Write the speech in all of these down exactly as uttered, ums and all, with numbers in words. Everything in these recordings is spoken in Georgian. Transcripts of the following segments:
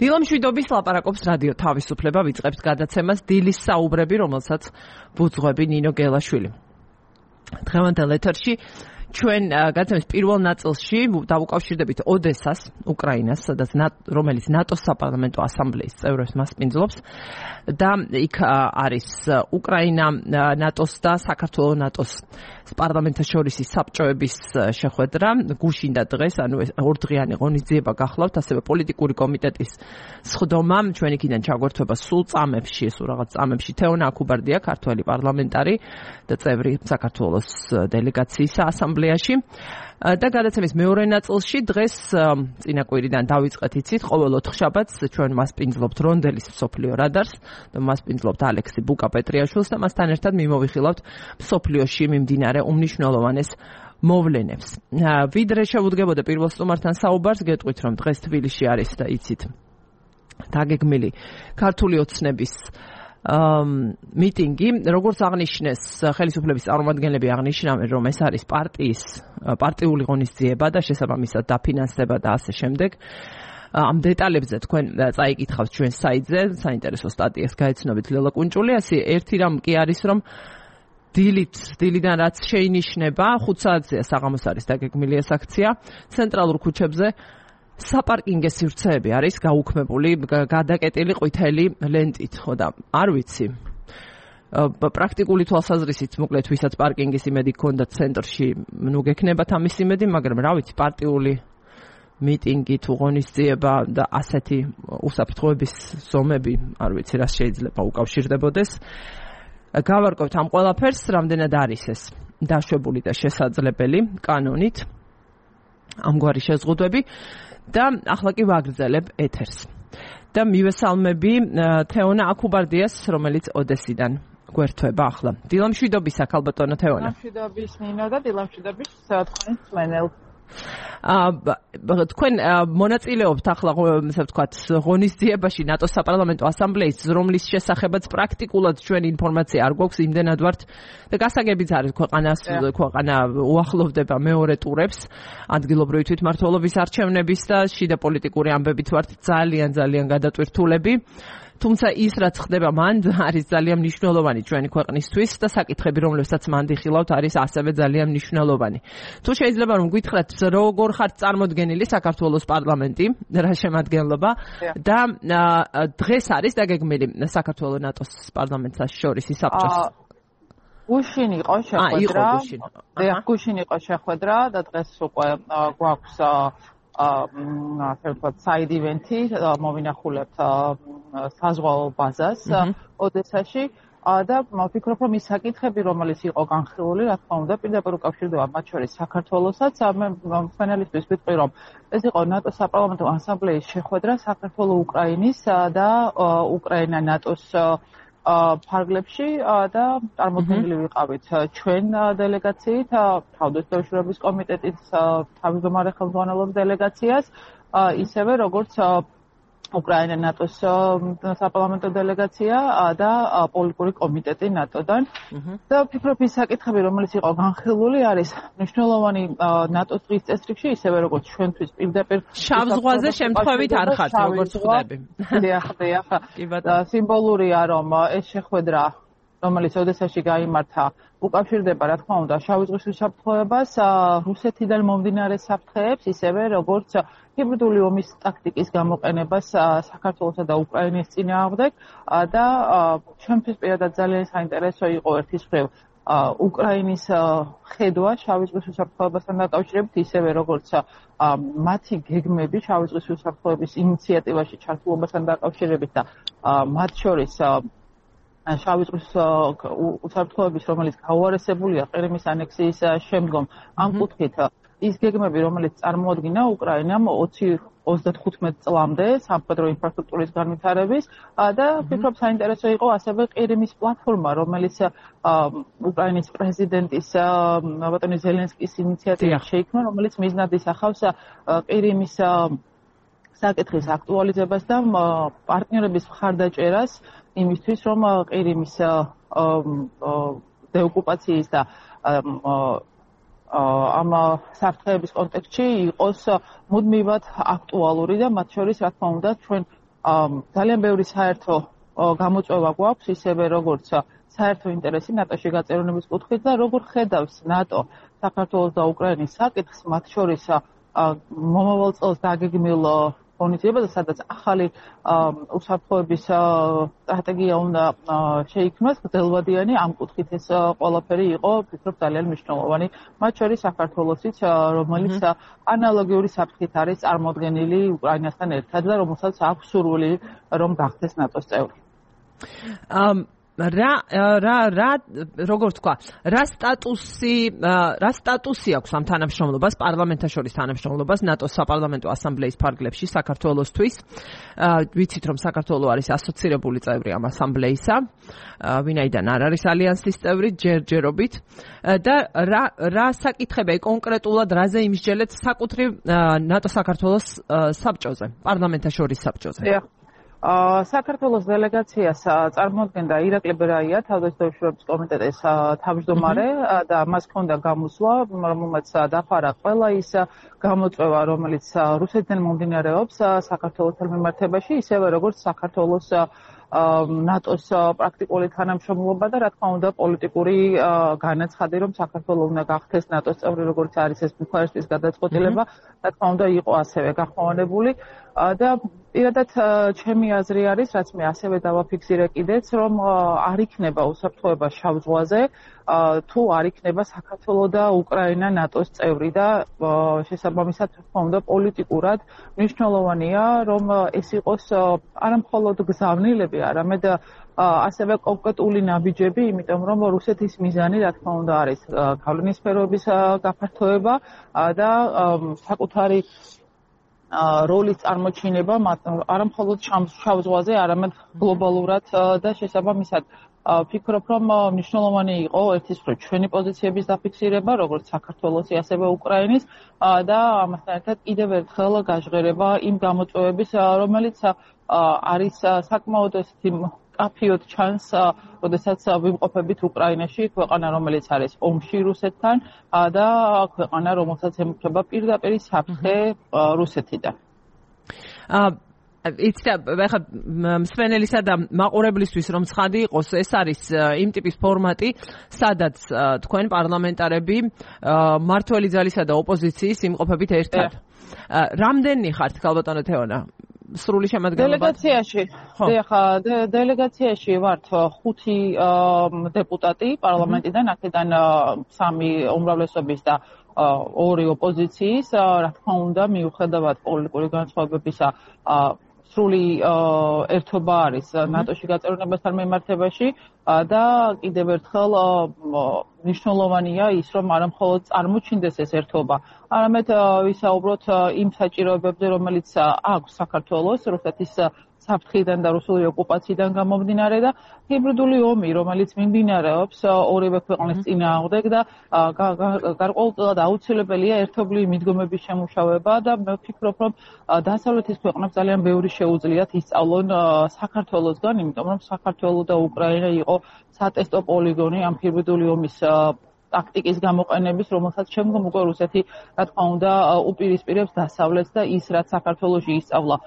დილამშვიდობის ლაპარაკობს რადიო თავისუფლება, ვიწყებთ გადაცემას დილის საუბრები, რომელსაც ვუძღვები ნინო გელაშვილი. დღევანდელ ეთერში ჩვენ გადაცემის პირველ ნაწილში დავუკავშირდებით ოდესას, უკრაინას, სადაც რომელიც ნატოს საპარლამენტო ასამბლეის წევრებს მასპინძლობს და იქ არის უკრაინა, ნატოს და საქართველოს ნატოს პარლამენტაშორისი საბჭოების შეხვედრა. გუშინდა დღეს, ანუ ორდღიანი ღონისძიება გახლავთ, ასევე პოლიტიკური კომიტეტის სხდომა. ჩვენ იქიდან ჩაგვერთვება სულ წამებში, სულ რაღაც წამებში თეონა აქუბარდია, ქართველი პარლამენტარი და წევრი საქართველოს დელეგაციის ასამბლეაში. და გადაცემის მეორე ნაწილში დღეს წინა კვირიდან დავიწყეთ, იცით, ყოველ ოთხშაბათს ჩვენ მასპინძლობთ რონდელის მსოფლიო რადარს და მასპინძლობთ ალექსი ბუკა-პეტრიაშვილს და მასთან ერთად მიმოვიხილავთ მსოფლიოში მიმდინარე უმნიშვნელოვანეს მოვლენებს. ვიდრე შევუდგებოდე პირველ სტუმართან საუბარს, გეტყვით, რომ დღეს თბილისში არის და იცით დაგეგმილი ქართული ოცნების მიტინგი, როგორც აღნიშნეს ხელისუფლების წარმომადგენლები აღნიშნავენ, რომ ეს არის პარტიის პარტიული ღონისძიება და შესაბამისად დაფინანსდება და ასე შემდეგ. ამ დეტალებზე თქვენ წაიკითხავთ ჩვენ საიტზე, საინტერესო სტატიას გაეცნობით ლელა კუნჭულიასი. ერთი რამ კი არის, რომ დილით, დილიდან რაც შეინიშნება, ხუთ საათზეა საღამოს არის დაგეგმილი ეს აქცია, ცენტრალურ ქუჩებზე საპარკინგე სივრცეები არის გაუქმებული, გადაკეტილი ყვითელი ლენტით, ხო და არ ვიცი. პრაქტიკული თვალსაზრისით, მოკლედ, ვისაც პარკინგის იმედი ჰქონდა ცენტრში, ნუ გექნებათ ამის იმედი, მაგრამ რა ვიცი, პარტიული მიტინგი თუ ღონისძიება და ასეთი უსაფრთხოების ზომები, არ ვიცი, რა შეიძლება უკავშირდებოდეს. გავარკვევთ ამ ყველაფერს, რამდენად არის ეს დაშვებული და შესაძლებელი კანონით, ამგვარი შეზღუდვები. და ახლა კი ვაგრძელებ ეთერს. და მივესალმები თეონა აქუბარდიას, რომელიც ოდესიდან გვერთვება ახლა. დილამშვიდობისა, ქალბატონო თეონა. დილამშვიდობის ნინო და დილამშვიდობის თქვენ მსმენელს. აა თქვენ მონაწილეობთ ახლა, ასე ვთქვათ, ღონისძიებაში ნატოს საპარლამენტო ასამბლეის, რომლის შესახებაც პრაქტიკულად ჩვენ ინფორმაცია არ გვაქვს, იმდენად ვართ და გასაგებიც არის ქვეყანას, ქვეყანა უახლოვდება მეორე ტურებს, ადგილობრივი თვითმმართველობის არჩევნების და შიდა პოლიტიკური ამბებით ვართ ძალიან ძალიან გადატვირთულები. თუმცა ის რაც ხდება მან არის ძალიან მნიშვნელოვანი ჩვენი ქვეყნისთვის და საკითხები, რომლებსაც მან დიხილავთ, არის ასევე ძალიან მნიშვნელოვანი. თუ შეიძლება რომ გითხრათ, როგორ ხართ წარმოდგენილი საქართველოს პარლამენტი, რა შემადგენლობა და დღეს არის დაგეგმილი საქართველოს ნატოს პარლამენტს შორის საბჭოს. გუშინ იყო შეხვედრა. და გუშინ იყო შეხვედრა და დღეს უკვე გვაქვს ასე ვთქვათ, საიდ ივენთი, მოვინახულებთ საზღვაო ბაზას ოდესაში და ვფიქრობ, რომ ის საკითხები, რომელიც იყო განხილული, რა თქმა უნდა, პირდაპირ უკავშირდება მათ შორის საქართველოსაც. მე მსმენელისთვის ვიტყვი, რომ ეს იყო ნატოს საპარლამენტო ასამბლეის შეხვედრა საქართველოს უკრაინის და უკრაინა ნატოს ფარგლებში და წარმოქმნილი ვიყავით ჩვენ დელეგაციით, თავდაცვის კომიტეტის თავმჯდომარე ხელმძღვანელობის დელეგაციას, ისევე როგორც უკრაინა ნატოს საპარლამენტო დელეგაცია და პოლიტიკური კომიტეტი ნატოდან. და ვფიქრობ, ის საკითხები, რომელიც იყო განხილული, არის მნიშვნელოვანი ნატოს დღის წესრიგში, ისევე როგორც ჩვენთვის პირდაპირ შავ ზღვაზე შემთხვევით არ ხართ, როგორც ხვდები. დიახ, დიახ. სიმბოლურია, რომ ეს შეხვედრა, რომელიც ოდესაში გაიმართა, უკავშირდება, რა თქმა უნდა, შავი ზღვის უსაფრთხოებას, რუსეთიდან მომდინარე საფრთხეებს, ისევე როგორც ჰიბრიდული ომის ტაქტიკის გამოყენებას საქართველოსა და უკრაინის წინააღმდეგ და ჩვენთვის პირადად ძალიან საინტერესო იყო ერთის მხრივ უკრაინის ხედვა შავი ზღვის უსაფრთხოებასთან დაკავშირებით, ისევე როგორც მათი გეგმები შავი ზღვის უსაფრთხოების ინიციატივაში ჩართულობასთან დაკავშირებით და მათ შორის შავი ზღვის უსაფრთხოების, რომელიც გაუარესებულია ყირიმის ანექსიის შემდგომ, ამ კუთხით ის გეგმები, რომელიც წარმოადგინა უკრაინამ ოცდათხუთმეტ წლამდე სამხედრო ინფრასტრუქტურის განვითარების და ვფიქრობ, საინტერესო იყო ასევე ყირიმის პლატფორმა, რომელიც უკრაინის პრეზიდენტის ბატონი ზელენსკის ინიციატივით შეიქმნა, რომელიც მიზნად ისახავს ყირიმის საკითხის აქტუალიზებას და პარტნიორების მხარდაჭერას იმისთვის, რომ ყირიმის დეოკუპაციის და ამ საფრთხეების კონტექსტში იყოს მუდმივად აქტუალური და მათ შორის, რა თქმა უნდა, ჩვენ ძალიან ბევრი საერთო გამოწვევა გვაქვს, ისევე როგორც საერთო ინტერესი ნატოში გაწევრიანების კუთხით და როგორ ხედავს ნატო საქართველოს და უკრაინის საკითხს, მათ შორის მომავალ წელს დაგეგმილ ღონისძიებაზე, სადაც ახალი უსაფრთხოების სტრატეგია უნდა შეიქმნას, გრძელვადიანი ამ კუთხით ეს ყველაფერი იყო, ვფიქრობ, ძალიან მნიშვნელოვანი, მათ შორის საქართველოსიც, რომელიც ანალოგიური საფრთხით არის წარმოდგენილი უკრაინასთან ერთად და რომელსაც აქვს სურვილი, რომ გახდეს ნატოს წევრი. რა რა რა როგორ თქვა რა სტატუსი რა სტატუსი აქვს ამ თანამშრომლობას პარლამენტთა შორის თანამშრომლობას ნატოს საპარლამენტო ასამბლეის ფარგლებში საქართველოსთვის ვიცით რომ საქართველო არის ასოცირებული წევრი ამ ასამბლეისა ვინაიდან არ არის ალიანსის წევრი ჯერჯერობით და რა რა საკითხები კონკრეტულად რაზე იმსჯელეთ საკუთრივ ნატო საქართველოს საბჭოზე პარლამენტთა შორის საბჭოზე საქართველოს დელეგაციას წარმოადგენდა ირაკლი ბერაია, თავდაცვის კომიტეტის თავმჯდომარე და მას ჰქონდა გამოსვლა, რომელმაც დაფარა ყველა ის გამოწვევა, რომელიც რუსეთიდან მომდინარეობს საქართველოსთან მიმართებაში, ისევე როგორც საქართველოს ნატოს პრაქტიკული თანამშრომლობა და რა თქმა უნდა პოლიტიკური განაცხადი, რომ საქართველო უნდა გახდეს ნატოს წევრი, როგორც არის ეს ბუქარესტის გადაწყვეტილება, რა თქმა უნდა იყო ასევე გახმოვანებული და პირადად ჩემი აზრი არის, რაც მე ასევე დავაფიქსირე კიდეც, რომ არ იქნება უსაფრთხოება შავ ზღვაზე, თუ არ იქნება საქართველო და უკრაინა ნატოს წევრი და შესაბამისად, რა თქმა უნდა, პოლიტიკურად მნიშვნელოვანია, რომ ეს იყოს არა მხოლოდ გზავნილები, არამედ ასევე კონკრეტული ნაბიჯები, იმიტომ რომ რუსეთის მიზანი, რა თქმა უნდა, არის გავლენის სფეროების გაფართოება და საკუთარი როლის წარმოჩინება არა მხოლოდ შავ ზღვაზე, არამედ გლობალურად და შესაბამისად ვფიქრობ, რომ მნიშვნელოვანი იყო ერთის მხრივ ჩვენი პოზიციების დაფიქსირება, როგორც საქართველოსი, ასევე უკრაინის და ამასთან ერთად კიდევ ერთხელ გაჟღერება იმ გამოწვევების, რომელიც არის საკმაოდ ესეთი კაფიოდ ჩანს, როდესაც ვიმყოფებით უკრაინაში, ქვეყანა, რომელიც არის ომში რუსეთთან და ქვეყანა, რომელსაც ემუქრება პირდაპირ საფრთხე რუსეთიდან. იცით, ახლა მსმენელისა და მაყურებლისთვის რომ ცხადი იყოს, ეს არის იმ ტიპის ფორმატი, სადაც თქვენ პარლამენტარები მმართველი ძალისა და ოპოზიციის იმყოფებით ერთად. რამდენი ხართ, ქალბატონო თეონა? სრული შემადგენლობა დელეგაციაში. ეხლა დელეგაციაში ვართ ხუთი დეპუტატი პარლამენტიდან, აქედან სამი უმრავლესობის და ორი ოპოზიციის, რა თქმა უნდა, მიუხედავად პოლიტიკური განსხვავებებისა, სრული ერთობა არის ნატოში გაწევრიანებასთან მიმართებაში და კიდევ ერთხელ მნიშვნელოვანია ის, რომ არა მხოლოდ წარმოჩინდეს ეს ერთობა, არამედ ვისაუბროთ იმ საჭიროებებზე, რომელიც აქვს საქართველოს რუსეთის საფრთხიდან და რუსული ოკუპაციიდან გამომდინარე და ჰიბრიდული ომი, რომელიც მიმდინარეობს ორივე ქვეყნის წინააღმდეგ და გარკვეულწილად აუცილებელია ერთობლივი მიდგომების შემუშავება და მე ვფიქრობ, რომ დასავლეთის ქვეყნებს ძალიან ბევრი შეუძლიათ ისწავლონ საქართველოსგან, იმიტომ რომ საქართველო და უკრაინა იყო სატესტო პოლიგონი ამ ჰიბრიდული ომის ტაქტიკის გამოყენების, რომელსაც შემდგომ უკვე რუსეთი, რა თქმა უნდა, უპირისპირებს დასავლეთს და ის, რაც საქართველოში ისწავლა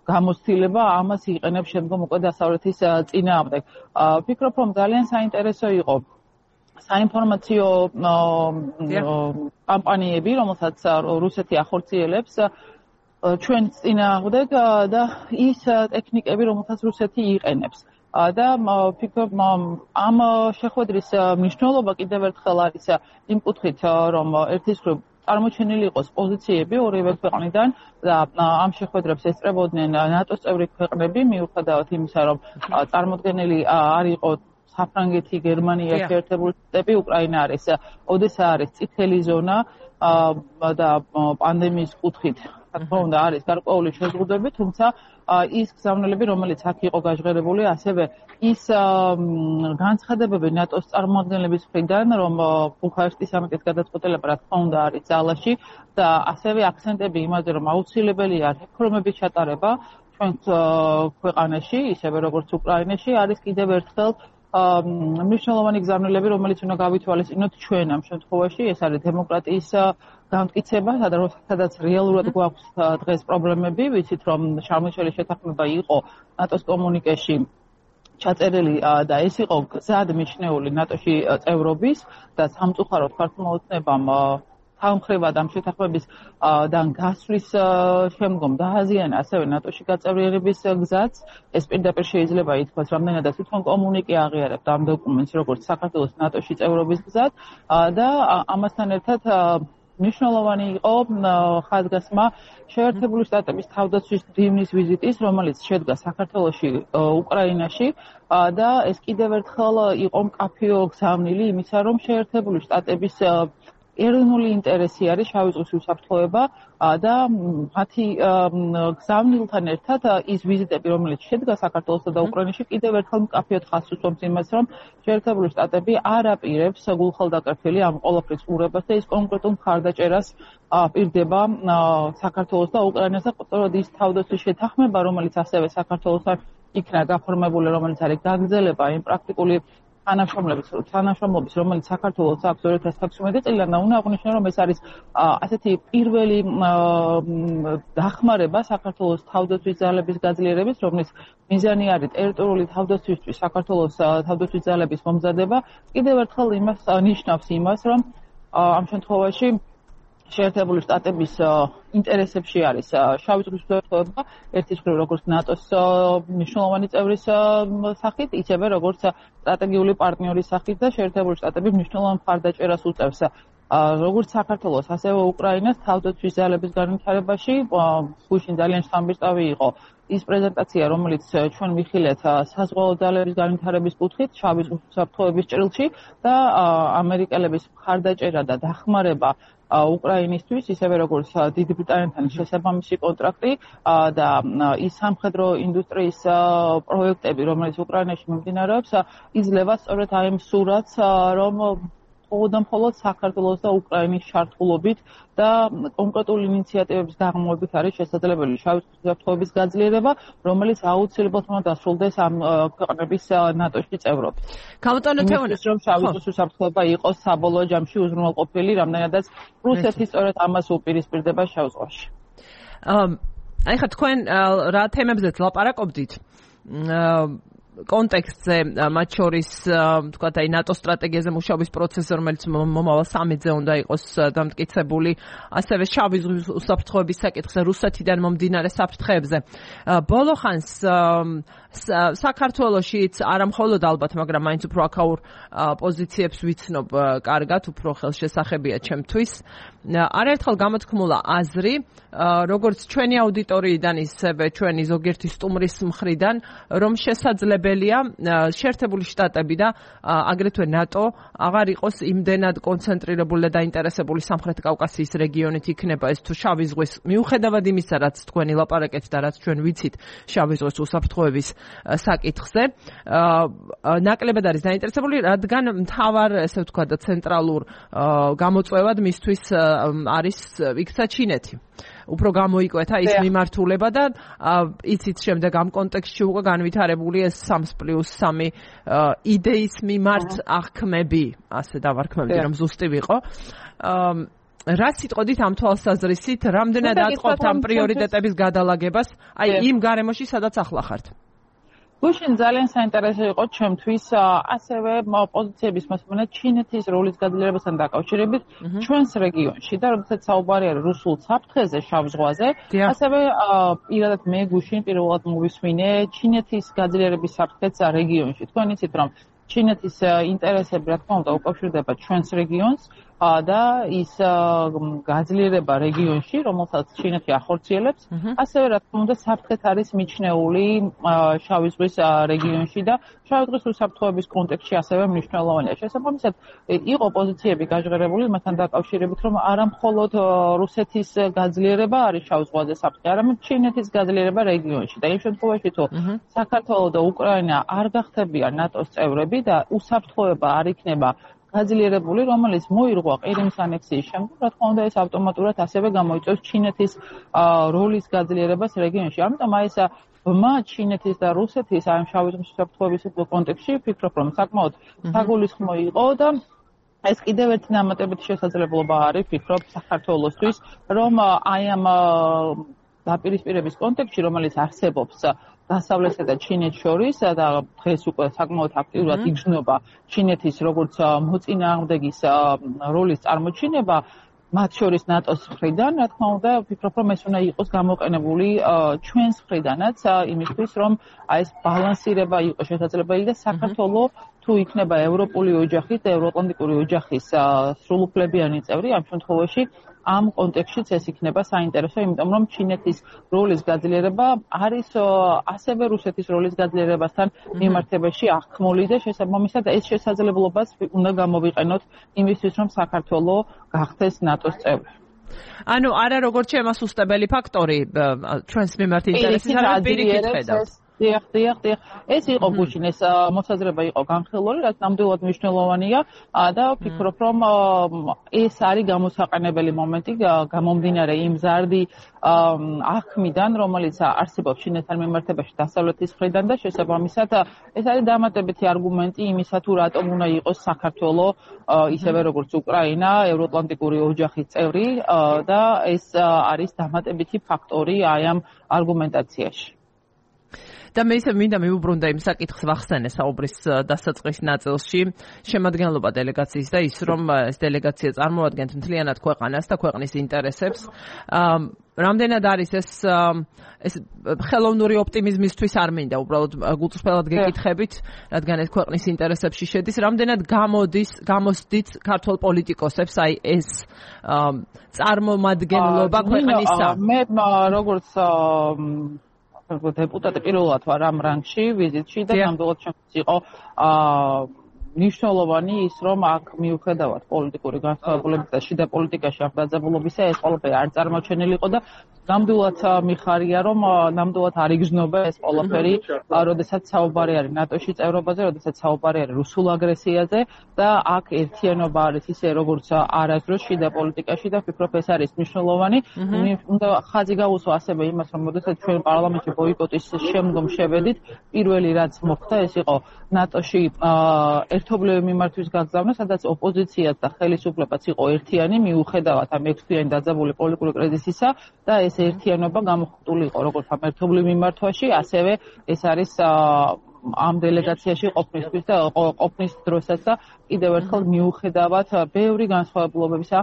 გამოცდილება, ამას იყენებს შემდგომ უკვე დასავლეთის წინააღმდეგ. ვფიქრობ, რომ ძალიან საინტერესო იყო საინფორმაციო კამპანიები, რომელსაც რუსეთი ახორციელებს ჩვენ წინააღმდეგ და ის ტექნიკები, რომელსაც რუსეთი იყენებს. და ვფიქრობ, ამ შეხვედრის მნიშვნელობა კიდევ ერთხელ არის იმ კუთხით, რომ ერთის მხრივ წარმოჩენილი იყოს პოზიციები ორივე ქვეყნიდან და ამ შეხვედრებს ესწრებოდნენ ნატოს წევრი ქვეყნები, მიუხედავად იმისა, რომ წარმოდგენილი არ იყო საფრანგეთი, გერმანია, შეერთებული შტატები, უკრაინა არის, ოდესა არის წითელი ზონა და პანდემიის კუთხით, რა თქმა უნდა, არის გარკვეული შეზღუდვები, თუმცა ის გზავნილები, რომელიც აქ იყო გაჟღერებული, ასევე ის განცხადებები ნატოს წარმოადგენლების მხრიდან, რომ ბუქარესტის სამიტის გადაწყვეტილება, რა თქმა უნდა, არის ძალაში და ასევე აქცენტები იმაზე, რომ აუცილებელია რეფორმების ჩატარება ჩვენ ქვეყანაში, ისევე როგორც უკრაინაში, არის კიდევ ერთხელ მნიშვნელოვანი გზავნილები, რომელიც უნდა გავითვალისწინოთ ჩვენ ამ შემთხვევაში, ეს არის დემოკრატიის გამტკიცება, სადაც რეალურად გვაქვს დღეს პრობლემები, ვიცით რომ შარმუშელი შეთანხმება იყო ნატოს კომუნიკეში ჩაწერილი და ეს იყო გზად მიჩნეული ნატოში წევრობის და სამწუხაროდ ქართულმოწმებამ თანხმდება ამ შეთანხმებისგან გასვლის შემდგომ დააზიანა ასევე ნატოში გაწევრიანების გზაც. ეს პირდაპირ შეიძლება ითქვას, რამდენადაც თვითონ კომუნიკე აღიარებდა ამ დოკუმენტს როგორც საქართველოს ნატოში წევრობის გზად და ამასთან ერთად მნიშვნელოვანი იყო ხაზგასმა შეერთებული შტატების თავდაცვის დივნის ვიზიტის, რომელიც შედგა საქართველოში, უკრაინაში და ეს კიდევ ერთხელ იყო მკაფიო გზავნილი იმისა, რომ შეერთებული შტატების ეროვნული ინტერესი არის შავი ზღვის უსაფრთხოება და მათი გზავნილთან ერთად ის ვიზიტები, რომელიც შედგა საქართველოსა და უკრაინაში, კიდევ ერთხელ მკაფიოდ ხაზს უსვამს იმას, რომ შეერთებული შტატები არ აპირებს გულხელდაკრეფილი ამ ყველაფრის ყურებას და ის კონკრეტულ მხარდაჭერას პირდება საქართველოს და უკრაინას და სწორედ ის თავდაცვის შეთანხმება, რომელიც ასევე საქართველოსთან იქნა გაფორმებული, რომელიც არის გაგრძელება იმ პრაქტიკული თანამშრომლობის თანამშრომლობის, რომელიც საქართველოს აქვს ორი ათას თექვსმეტი წლიდან და უნდა აღნიშნო, რომ ეს არის ასეთი პირველი დახმარება საქართველოს თავდაცვის ძალების გაძლიერების, რომლის მიზანი არის ტერიტორიული თავდაცვისთვის საქართველოს თავდაცვის ძალების მომზადება. კიდევ ერთხელ იმას ნიშნავს იმას, რომ ამ შემთხვევაში შეერთებული შტატების ინტერესებში არის შავი ზღვის უსაფრთხოება, ერთის მხრივ როგორც ნატოს მნიშვნელოვანი წევრის სახით, ისევე როგორც სტრატეგიული პარტნიორის სახით და შეერთებული შტატები მნიშვნელოვან მხარდაჭერას უწევს როგორც საქართველოს, ასევე უკრაინას თავდაცვის ძალების განვითარებაში. გუშინ ძალიან შთამბეჭდავი იყო ის პრეზენტაცია, რომელიც ჩვენ ვიხილეთ საზღვაო ძალების განვითარების კუთხით შავი ზღვის უსაფრთხოების ჭრილში და ამერიკელების მხარდაჭერა და დახმარება უკრაინისთვის, ისევე როგორც დიდი ბრიტანეთთან შესაბამისი კონტრაქტი და ის სამხედრო ინდუსტრიის პროექტები, რომელიც უკრაინაში მიმდინარეობს, იძლევა სწორედ აი ამ სურათს, რომ მხოლოდ და მხოლოდ საქართველოს და უკრაინის ჩართულობით და კონკრეტული ინიციატივების დაღმობით არის შესაძლებელი შავი ზღვის უსაფრთხოების გაძლიერება, რომელიც აუცილებლად უნდა დასრულდეს ამ ქვეყნების ნატოში წევრობით. გამოტანო თეონეს, რომ შავი ზღვის უსაფრთხოება იყოს საბოლოო ჯამში უზრუნველყოფილი, რამდენადაც რუსეთი სწორედ ამას უპირისპირდება შავ ზღვაში. აი ხა თქვენ რა თემებზეც ლაპარაკობდით? კონტექსტზე, მათ შორის, თქვათ, აი ნატოს სტრატეგიაზე მუშაობის პროცესზე, რომელიც მომავალ სამედზე უნდა იყოს დამტკიცებული, ასევე შავი ზღვის უსაფრთხოების საკითხზე, რუსეთიდან მომდინარე საფრთხეებზე. ბოლო ხანს საქართველოშიც არა მხოლოდ ალბათ, მაგრამ მაინც უფრო აქაურ პოზიციებს ვიცნობ კარგად, უფრო ხელშესახებია ჩემთვის. არაერთხელ გამოთქმულა აზრი, როგორც ჩვენი აუდიტორიიდან, ისევე ჩვენი ზოგიერთი სტუმრის მხრიდან, რომ შესაძლებელია შეერთებული შტატები და აგრეთვე ნატო აღარ იყოს იმდენად კონცენტრირებული და დაინტერესებული სამხრეთ კავკასიის რეგიონით იქნება ეს თუ შავი ზღვის, მიუხედავად იმისა, რაც თქვენი ლაპარაკეთ და რაც ჩვენ ვიცით შავი ზღვის უსაფრთხოების საკითხზე, ნაკლებად არის დაინტერესებული, რადგან მთავარ, ესე ვთქვათ, ცენტრალურ გამოწვევად მისთვის არის იქცა ჩინეთი. უფრო გამოიკვეთა ის მიმართულება და იცით შემდეგ ამ კონტექსტში უკვე განვითარებული ეს სამს პლუს სამი იდეის მიმართ აღქმები, ასე დავარქმევდი, რომ ზუსტი ვიყო. რა სიტყოდით ამ თვალსაზრისით, რამდენად აწყობთ ამ პრიორიტეტების გადალაგებას, აი იმ გარემოში, სადაც ახლა ხართ? გუშინ ძალიან საინტერესო იყო ჩემთვის ასევე პოზიციების მოსმენა ჩინეთის როლის გაძლიერებასთან დაკავშირებით ჩვენს რეგიონში და როდესაც საუბარი არის რუსულ საფრთხეზე შავ ზღვაზე, ასევე პირადად მე გუშინ პირველად მოვისმინე ჩინეთის გაძლიერების საფრთხეც რეგიონში. თქვენ იცით რომ ჩინეთის ინტერესები რა თქმა უნდა უკავშირდება ჩვენს რეგიონს და ის გაძლიერება რეგიონში, რომელსაც ჩინეთი ახორციელებს, ასევე რა თქმა უნდა საფრთხეთ არის მიჩნეული შავი ზღვის რეგიონში და შავი ზღვის უსაფრთხოების კონტექსტში ასევე მნიშვნელოვანია. შესაბამისად, იყო პოზიციები გაჟღერებული მასთან დაკავშირებით, რომ არა მხოლოდ რუსეთის გაძლიერება არის შავ ზღვაზე საფრთხე, არამედ ჩინეთის გაძლიერება რეგიონში. და იმ შემთხვევაში თუ საქართველო და უკრაინა არ გახდებიან ნატოს წევრები და უსაფრთხოება არ იქნება გაძლიერებული, რომელიც მოირღვა ყირიმის ანექსიის შემდეგ, რა თქმა უნდა, ეს ავტომატურად ასევე გამოიწვევს ჩინეთის როლის გაძლიერებას რეგიონში. ამიტომ აი ეს ბმა ჩინეთის და რუსეთის ამ შავი ზღვის უსაფრთხოების კონტექსტში ვფიქრობ, რომ საკმაოდ საგულისხმო იყო და ეს კიდევ ერთი დამატებითი შესაძლებლობა არის, ვფიქრობ, საქართველოსთვის, რომ აი ამ დაპირისპირების კონტექსტში, რომელიც არსებობს დასავლეთსა და ჩინეთს შორის და დღეს უკვე საკმაოდ აქტიურად იგრძნობა ჩინეთის როგორც მოწინააღმდეგის როლის წარმოჩინება, მათ შორის ნატოს მხრიდან, რა თქმა უნდა, ვფიქრობ, რომ ეს უნდა იყოს გამოყენებული ჩვენს მხრიდანაც იმისთვის, რომ აი ეს ბალანსირება იყოს შესაძლებელი და საქართველოს თუ იქნება ევროპული ოჯახის და ევროატლანტიკური ოჯახის სრულუფლებიანი წევრი, ამ შემთხვევაში ამ კონტექსტშიც ეს იქნება საინტერესო, იმიტომ რომ ჩინეთის როლის გაძლიერება არის ასევე რუსეთის როლის გაძლიერებასთან მიმართებაში აღქმული და შესაბამისად ეს შესაძლებლობას უნდა გამოვიყენოთ იმისთვის, რომ საქართველოს გახდეს ნატოს წევრი. ანუ არა როგორც შემასუსტებელი ფაქტორი ჩვენს მიმართ ინტერესის არის პირიქით ხედავთ. დიახ, დიახ, დიახ. ეს იყო გუშინ ეს მოსაზრება იყო განხილული, რაც ნამდვილად მნიშვნელოვანია და ვფიქრობ, რომ ეს არის გამოსაყენებელი მომენტი გამომდინარე იმ ზარდი აღქმიდან, რომელიც არსებობს ჩინეთთან მიმართებაში დასავლეთის მხრიდან და შესაბამისად ეს არის დამატებითი არგუმენტი იმისა, თუ რატომ უნდა იყოს საქართველოს ისევე როგორც უკრაინა ევროატლანტიკური ოჯახის წევრი და ეს არის დამატებითი ფაქტორი აი ამ არგუმენტაციაში. და მე ისე მინდა მივუბრუნდე იმ საკითხს ვახსენე საუბრის დასაწყის ნაწილში შემადგენლობა დელეგაციის და ის რომ ეს დელეგაცია წარმოადგენს მთლიანად ქვეყანას და ქვეყნის ინტერესებს. რამდენად არის ეს ეს ხელოვნური ოპტიმიზმისთვის არ მინდა უბრალოდ გულწრფელად გეკითხებით, რადგან ეს ქვეყნის ინტერესებში შედის, რამდენად გამოდის, გამოსდით ქართულ პოლიტიკოსებს აი ეს წარმომადგენლობა ქვეყნისა. მე როგორც დეპუტატი პირველად ვარ ამ რანგში, ვიზიტში და ნამდვილად ჩემთვის იყო მნიშვნელოვანი ის, რომ აქ მიუხედავად პოლიტიკური განსხვავებულების და შიდა პოლიტიკაში ამ დაძაბულობისა, ეს ყველაფერი არ წარმოჩენილი იყო და ნამდვილად მიხარია, რომ ნამდვილად არ იგრძნობა ეს ყველაფერი, როდესაც საუბარი არის ნატოში წევრობაზე, როდესაც საუბარი არის რუსულ აგრესიაზე და აქ ერთიანობა არის ისე, როგორც არასდროს შიდა პოლიტიკაში და ვფიქრობ, ეს არის მნიშვნელოვანი. უნდა ხაზი გაუსვა ასევე იმას, რომ როდესაც ჩვენ პარლამენტში ბოიკოტის შემდგომ შევედით, პირველი რაც მოხდა, ეს იყო ნატოში ერთობლივი მიმართვის გაგზავნა, სადაც ოპოზიციაც და ხელისუფლებაც იყო ერთიანი, მიუხედავად ამ ექვსთვიანი დაძაბული პოლიტიკური კრიზისისა და ეს ერთიანობა გამოხატული იყო როგორც ამ ერთობლივ მიმართვაში, ასევე ეს არის ამ დელეგაციაში ყოფნისთვის და ყოფნის დროსაც და კიდევ ერთხელ მიუხედავად ბევრი განსხვავებულობებისა,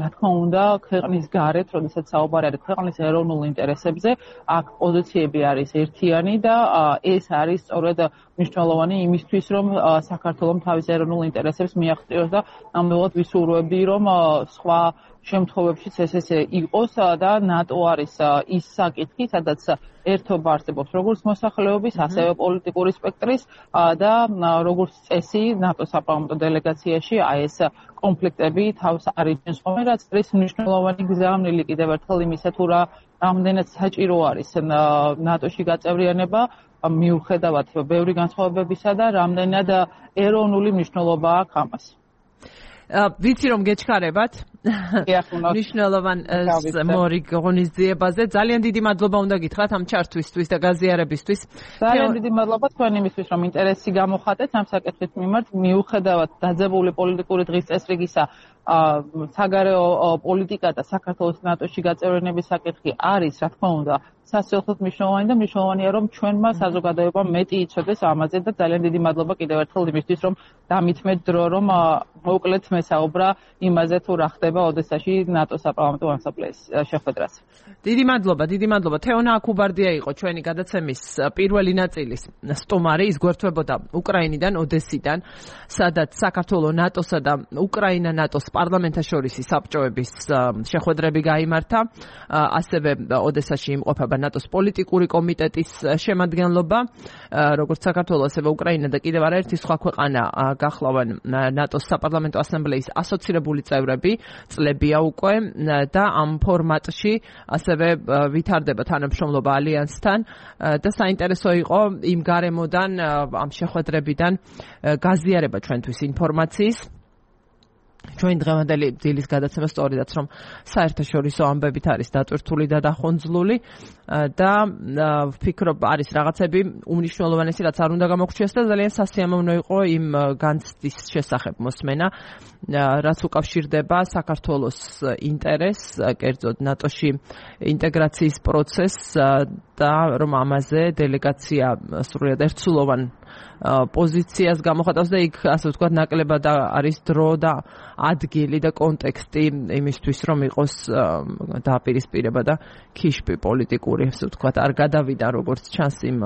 რა თქმა უნდა, ქვეყნის გარეთ, როდესაც საუბარი არის ქვეყნის ეროვნულ ინტერესებზე, აქ პოზიციები არის ერთიანი და ეს არის სწორედ მნიშვნელოვანი იმისთვის, რომ საქართველოს თავის ეროვნულ ინტერესებს მიაღწიოს და ნამდვილად ვისურვებდი, რომ სხვა შემთხვევებშიც ეს ესე იყოს და ნატო არის ის საკითხი, სადაც ერთობა არსებობს როგორც მოსახლეობის, ასევე პოლიტიკური სპექტრის და როგორც წესი ნატოს საპარლამენტო დელეგაციაში აი ეს კონფლიქტები თავს არიძენს ხოლმე, რაც არის მნიშვნელოვანი გზავნილი კიდევ ერთხელ იმისა, თუ რა რამდენად საჭირო არის ნატოში გაწევრიანება, მიუხედავად ბევრი განსხვავებებისა და რამდენად ეროვნული მნიშვნელობა აქვს ამას. ვიცი რომ გეჩქარებათ მნიშვნელოვან მორიგ ღონისძიებაზე. ძალიან დიდი მადლობა უნდა გითხრათ ამ ჩართვისთვის და გაზიარებისთვის. ძალიან დიდი მადლობა თქვენ იმისთვის, რომ ინტერესი გამოხატეთ ამ საკითხის მიმართ, მიუხედავად დაძაბული პოლიტიკური დღის წესრიგისა, საგარეო პოლიტიკა და საქართველოს ნატოში გაწევრიანების საკითხი არის, რა თქმა უნდა, სასწრაფოდ მნიშვნელოვანი და მნიშვნელოვანია, რომ ჩვენმა საზოგადოებამ მეტი იცოდეს ამაზე და ძალიან დიდი მადლობა კიდევ ერთხელ იმისთვის, რომ დამითმეთ დრო, რომ მოკლედ მესაუბრა იმაზე, თუ რა ხდება ოდესაში ნატოს საპარლამენტო ასამბლეის შეხვედრაზე. დიდი მადლობა, დიდი მადლობა. თეონა აკუბარდია იყო ჩვენი გადაცემის პირველი ნაწილის სტუმარი, ის გვერდთვებოდა უკრაინიდან, ოდესიდან, სადაც საქართველოს ნატოსა და უკრაინა ნატოს პარლამენტაშორისი საბჭოების შეხვედრები გაიმართა, ასევე ოდესაში იმყოფება ნატოს პოლიტიკური კომიტეტის შემადგენლობა, როგორც საქართველოს, ასევე უკრაინა და კიდევ არაერთი სხვა ქვეყანა გახლავენ ნატოს საპარლამენტო ასამბლეის ასოცირებული წევრები, წლებია უკვე და ამ ფორმატში ასევე ვითარდება თანამშრომლობა ალიანსთან და საინტერესო იყო იმ გარემოდან, ამ შეხვედრებიდან გაზიარება ჩვენთვის ინფორმაციის. ჩვენ დღევანდელი დილის გადაცემა სწორედაც რომ საერთაშორისო ამბებით არის დატვირთული და დახონძლული და ვფიქრობ არის რაღაცები უმნიშვნელოვანესი რაც არ უნდა გამოგვჩიოს და ძალიან სასიამოვნო იყო იმ განცდის შესახებ მოსმენა რაც უკავშირდება საქართველოს ინტერესს კერძოდ ნატოში ინტეგრაციის პროცესს და რომ ამაზე დელეგაცია სრულიად ერთსულოვან პოზიციას გამოხატავს და იქ ასე ვთქვათ ნაკლებად არის დრო და ადგილი და კონტექსტი იმისთვის რომ იყოს დააპირისპირება და ქიშპი პოლიტიკური ასე ვთქვათ არ გადავიდა როგორც ჩანს იმ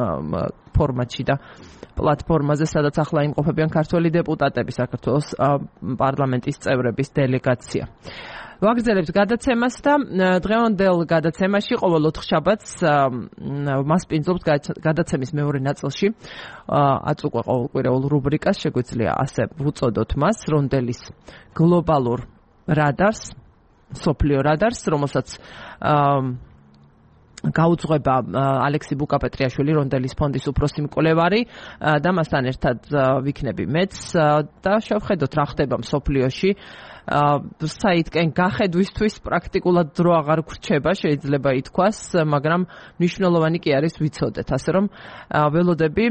ფორმატში და პლატფორმაზე სადაც ახლა იმყოფებიან ქართველი დეპუტატები საქართველოს პარლამენტის წევრების დელეგაცია. ვაგრძელებთ გადაცემას და დღევანდელ გადაცემაში ყოველ ოთხშაბათს მასპინძლობთ გადაცემის მეორე ნაწილში აწუყვე ყოველკვირეულ რუბრიკას შეგვიძლია ასე ვუწოდოთ მას რონდელის გლობალურ რადარს სოფლიო რადარს რომელსაც გაუძღვება ალექსი ბუკაპეტრიაშვილი რონდელის ფონდის უფროსი მკვლევარი და მასთან ერთად ვიქნები მეც და შევხედოთ რა ხდება მსოფლიოში საითკენ გახედვისთვის პრაქტიკულად დრო აღარ გრჩება შეიძლება ითქვას მაგრამ მნიშვნელოვანი კი არის ვიცოდეთ ასე რომ ველოდები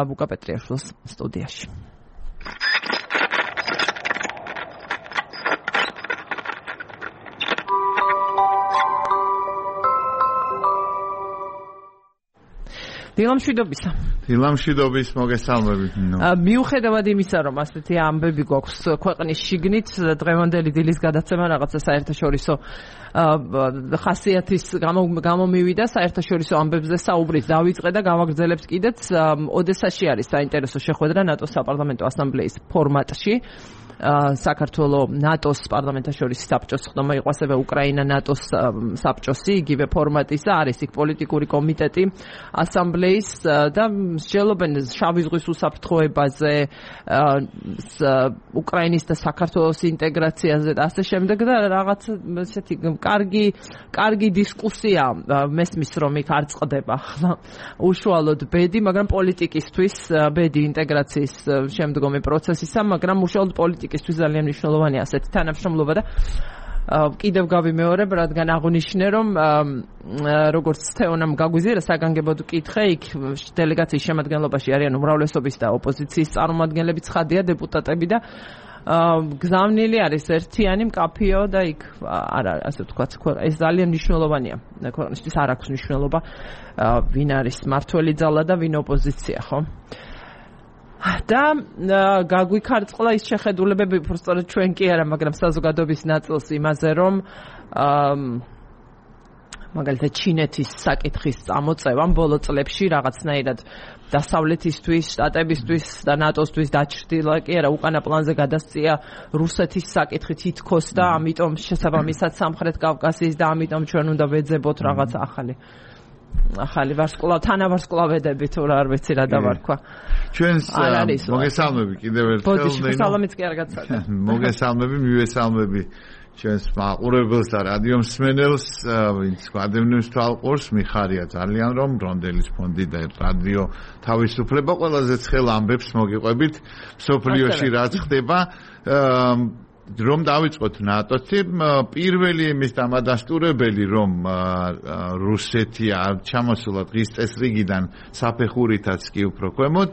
ბუკაპეტრიაშვილს სტუდიაში დილამშვიდობისა. დილამშვიდობის მოგესალმებით. მიუხედავად იმისა, რომ ასეთი ამბები გვაქვს ქვეყნის შიგნით, დღევანდელი დილის გადაცემა რაღაცა საერთაშორისო ხასიათის გამომივიდა, საერთაშორისო ამბებზე საუბრით დავიწყე და გავაგრძელებთ კიდეც. ოდესაში არის საინტერესო შეხვედრა ნატოს საპარლამენტო ასამბლეის ფორმატში. საქართველოს ნატოს პარლამენტაშორისი საბჭოს ხდომა იყო ასევე უკრაინა ნატოს საბჭოსი იგივე ფორმატისა არის იქ პოლიტიკური კომიტეტი ასამბლეის და მსჯელობენ შავი ზღვის უსაფრთხოებაზე უკრაინის და საქართველოს ინტეგრაციაზე და ასე შემდეგ და რაღაც ესეთი კარგი კარგი დისკუსია მესმის რომ იქ არ წყდება ახლა უშუალოდ ბედი მაგრამ პოლიტიკისთვის ბედი ინტეგრაციის შემდგომი პროცესისა მაგრამ უშუალოდ პოლიტიკისთვის ძალიან მნიშვნელოვანია ასეთი თანამშრომლობა და კიდევ გავიმეორებ, რადგან აღნიშნე, რომ როგორც თეონამ გაგვიზიარა საგანგებოდ კითხე, იქ დელეგაციის შემადგენლობაში არიან უმრავლესობის და ოპოზიციის წარმომადგენლები, ცხადია დეპუტატები და გზავნილი არის ერთიანი მკაფიო და იქ არა, ასე ვთქვათ, ეს ძალიან მნიშვნელოვანია. ქვეყნისთვის არ აქვს მნიშვნელობა, ვინ არის მართველი ძალა და ვინ ოპოზიცია, ხო? და გაგვიქარწყლა ის შეხედულებები, უბრალოდ ჩვენ კი არა, მაგრამ საზოგადოების ნაწილს იმაზე, რომ მაგალითად ჩინეთის საკითხის წამოწევამ ბოლო წლებში რაღაცნაირად დასავლეთისთვის, შტატებისთვის და ნატოსთვის დაჩრდილა კი არა, უკანა პლანზე გადასწია რუსეთის საკითხი თითქოს და ამიტომ შესაბამისად სამხრეთ კავკასიის და ამიტომ ჩვენ უნდა ვეძებოთ რაღაც ახალი ახალი ვარსკვლავ თანავარსკვლავედები თუ რა არ ვიცი რა დავარქვა. ჩვენს მოგესალმები კიდევ ერთხელ. ბოდიში სალამიც კი არ გაცადა. მოგესალმები, მივესალმები ჩვენს მაყურებელს და რადიო მსმენელს, ვინც გადავნებს თვალყურს, მიხარია ძალიან რომ რონდელის ფონდი და რადიო თავისუფლება ყველაზე ცხელ ამბებს მოგიყვებით მსოფლიოში რაც ხდება. რომ დავიწყოთ ნატოსი პირველი იმის დამადასტურებელი რომ რუსეთი არ ჩამოსულა დღის წესრიგიდან საფეხურითაც კი უფრო ქვემოთ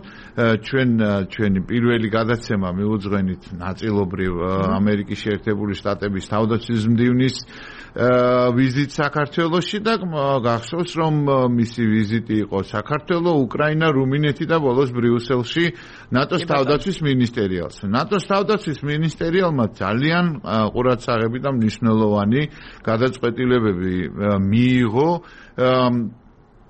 ჩვენ ჩვენი პირველი გადაცემა მიუძღვენით ნაწილობრივ ამერიკის შეერთებული შტატების თავდაცვის მდივნის ვიზიტ საქართველოში და გახსოვს რომ მისი ვიზიტი იყო საქართველო, უკრაინა, რუმინეთი და ბოლოს ბრიუსელში ნატოს თავდაცვის მინისტერიალს. ნატოს თავდაცვის მინისტერიალმა ძალიან ყურადსაღები და მნიშვნელოვანი გადაწყვეტილებები მიიღო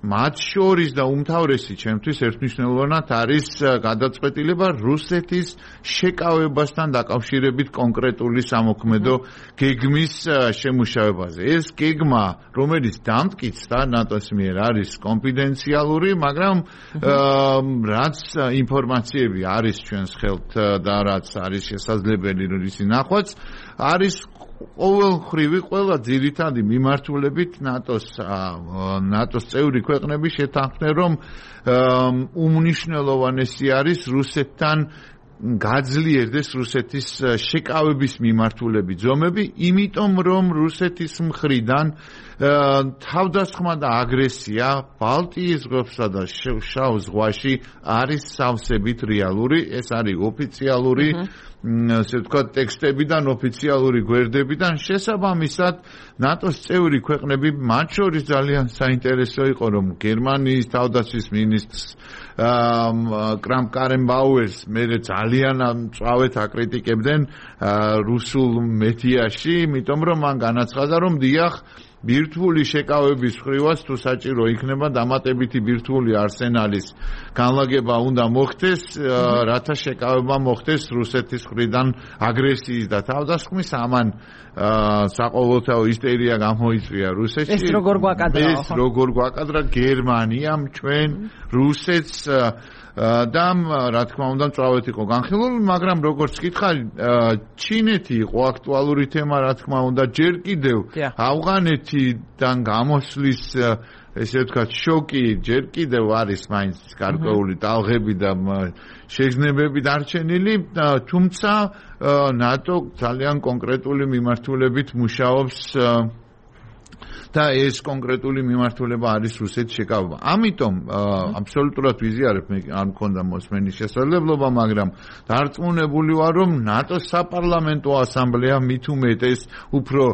მათ შორის და უმთავრესი ჩემთვის ერთმნიშვნელოვნად არის გადაწყვეტილება რუსეთის შეკავებასთან დაკავშირებით კონკრეტული სამოქმედო გეგმის შემუშავებაზე. ეს გეგმა, რომელიც დამტკიცდა ნატოს მიერ არის კონფიდენციალური, მაგრამ რაც ინფორმაციები არის ჩვენს ხელთ და რაც არის შესაძლებელი ისი ნახვაც, არის ყოველმხრივი ყველა ძირითადი მიმართულებით ნატოს ნატოს წევრი ქვეყნები შეთანხმდნენ რომ უმნიშვნელოვანესი არის რუსეთთან გაძლიერდეს რუსეთის შეკავების მიმართულები ძომები, იმიტომ რომ რუსეთის მხრიდან თავდასხმა და აგრესია ბალტიის ზღვასა და შავ ზღვაში არის სავსებით რეალური, ეს არის ოფიციალური ასე ვთქვათ ტექსტებიდან, ოფიციალური გვერდებიდან, შესაბამისად ნატოს წევრი ქვეყნები, მათ შორის ძალიან საინტერესო იყო, რომ გერმანიის თავდაცვის მინისტრს კრამ კარენბაუერს მერე ძალიან მწვავედ აკრიტიკებდნენ რუსულ მედიაში, იმიტომ რომ მან განაცხადა, რომ დიახ ბირთვული შეკავების ხრივაც თუ საჭირო იქნება დამატებითი ბირთვული არსენალის განლაგება უნდა მოხდეს, რათა შეკავება მოხდეს რუსეთის მხრიდან აგრესიის და თავდასხმის. ამან საყოველთაო ისტერია გამოიწვია რუსეთში. ეს როგორ გვაკადრა? ეს როგორ გვაკადრა გერმანიამ ჩვენ რუსეთს და რა თქმა უნდა მწვავედ იყო განხილული, მაგრამ როგორც გითხარი, ჩინეთი იყო აქტუალური თემა, რა თქმა უნდა, ჯერ კიდევ ავღანეთიდან გამოსვლის ესე ვთქვათ შოკი ჯერ კიდევ არის მაინც გარკვეული ტალღები და შეგრძნებები დარჩენილი, თუმცა ნატო ძალიან კონკრეტული მიმართულებით მუშაობს და ეს კონკრეტული მიმართულება არის რუსეთის შეკავება. ამიტომ აბსოლუტურად ვიზიარებ, მე არ მქონდა მოსმენის შესაძლებლობა, მაგრამ დარწმუნებული ვარ, რომ ნატოს საპარლამენტო ასამბლეა მით უმეტეს უფრო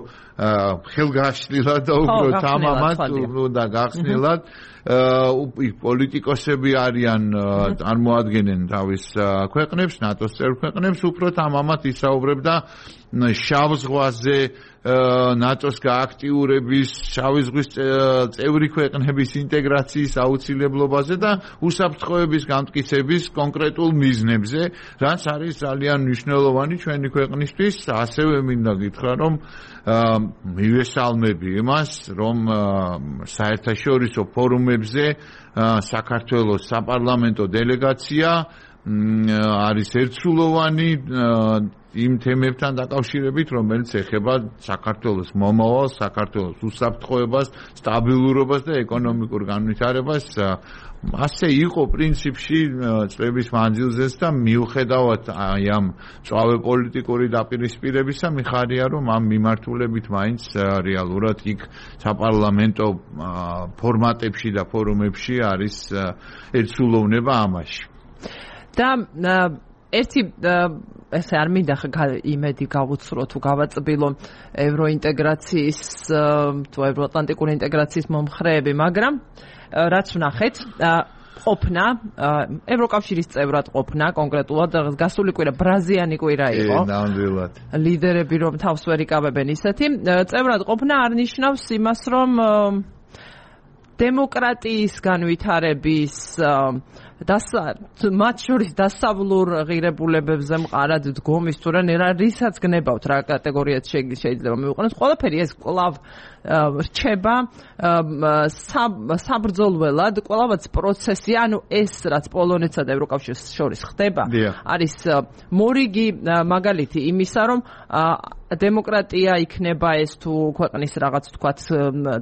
ხელგაშლილად და უფრო თამამად და გახსნილად პოლიტიკოსები არიან, წარმოადგენენ თავის ქვეყნებს, ნატოს წევრ ქვეყნებს, უფრო თამამად ისაუბრებდა შავ ზღვაზე ნატოს გააქტიურების, შავი ზღვის წევრი ქვეყნების ინტეგრაციის აუცილებლობაზე და უსაფრთხოების გამტკიცების კონკრეტულ მიზნებზე, რაც არის ძალიან მნიშვნელოვანი ჩვენი ქვეყნისთვის. ასევე მინდა გითხრა, რომ მივესალმები იმას, რომ საერთაშორისო ფორუმებზე საქართველოს საპარლამენტო დელეგაცია არის ერთსულოვანი იმ თემებთან დაკავშირებით, რომელიც ეხება საქართველოს მომავალს, საქართველოს უსაფრთხოებას, სტაბილურობას და ეკონომიკურ განვითარებას. ასე იყო პრინციპში წლების მანძილზეც და მიუხედავად აი ამ წავე პოლიტიკური დაპირისპირებისა, მიხარია, რომ ამ მიმართულებით მაინც რეალურად იქ საპარლამენტო ფორმატებში და ფორუმებში არის ერთსულოვნება ამაში. და ერთი ესე არ მინდა იმედი გავუცრო თუ გავაწბილო ევროინტეგრაციის თუ ევროატლანტიკური ინტეგრაციის მომხრეები, მაგრამ რაც ვნახეთ, ყოფნა ევროკავშირის წევრად ყოფნა კონკრეტულად გასული კვირა ბრაზიანი კვირა იყო. ნამდვილად. ლიდერები რომ თავს ვერ იკავებენ ისეთი, წევრად ყოფნა არ ნიშნავს იმას, რომ დემოკრატიის განვითარების მათ შორის დასავლურ ღირებულებებზე მყარად დგომის თუ რა რისაც გნებავთ რა კატეგორიაც შეიძლება მივიყვანოს, ყველაფერი ეს კვლავ რჩება საბრძოლველად, კვლავაც პროცესი, ანუ ეს რაც პოლონეთსა და ევროკავშირს შორის ხდება, არის მორიგი მაგალითი იმისა, რომ დემოკრატია იქნება ეს თუ ქვეყნის რაღაც თქვათ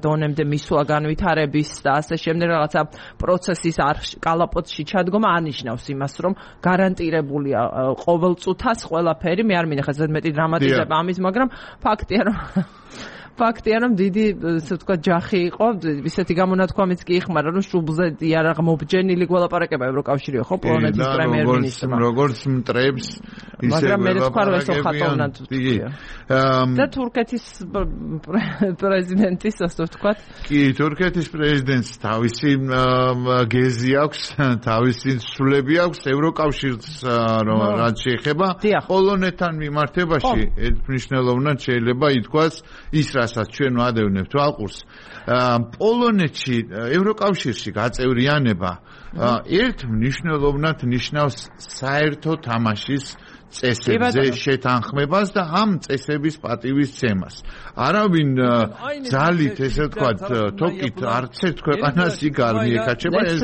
დონემდე მისვლა განვითარების და ასე შემდეგ რაღაცა პროცესის არ კალაპოტში ჩადგომა ანიშნავს იმას, რომ გარანტირებულია ყოველწუთას ყველაფერი. მე არ მინახეთ ზედმეტი დრამატიზება ამის, მაგრამ ფაქტია, რომ ფაქტია, რომ დიდი ასე ვთქვათ ჯახი იყო, ისეთი გამონათქვამიც კი იხმარა, რომ შუბლზე იარაღ მობჯენილი გველაპარაკება ევროკავშირიო, ხო, პოლონეთის პრემიერ-მინისტრმა. როგორც მტრებს, ისე მაგრამ მე თქვა, რომ ეს ხატოვნად და თურქეთის პრეზიდენტის ასე ვთქვათ. კი, თურქეთის პრეზიდენტს თავისი გეზი აქვს, თავისი სულები აქვს ევროკავშირს, რაც შეეხება პოლონეთთან მიმართებაში, მნიშვნელოვნად შეიძლება ითქვას ის რასაც ჩვენ ვადევნებთ ალყურს, პოლონეთში ევროკავშირში გაწევრიანება ერთ მნიშვნელოვნად ნიშნავს საერთო თამაშის წესებზე შეთანხმებას და ამ წესების პატივისცემას. არავინ ძალით ესე ვთქვათ, თოკით არც ერთ ქვეყანას იქ არ მიეკაჩება, ეს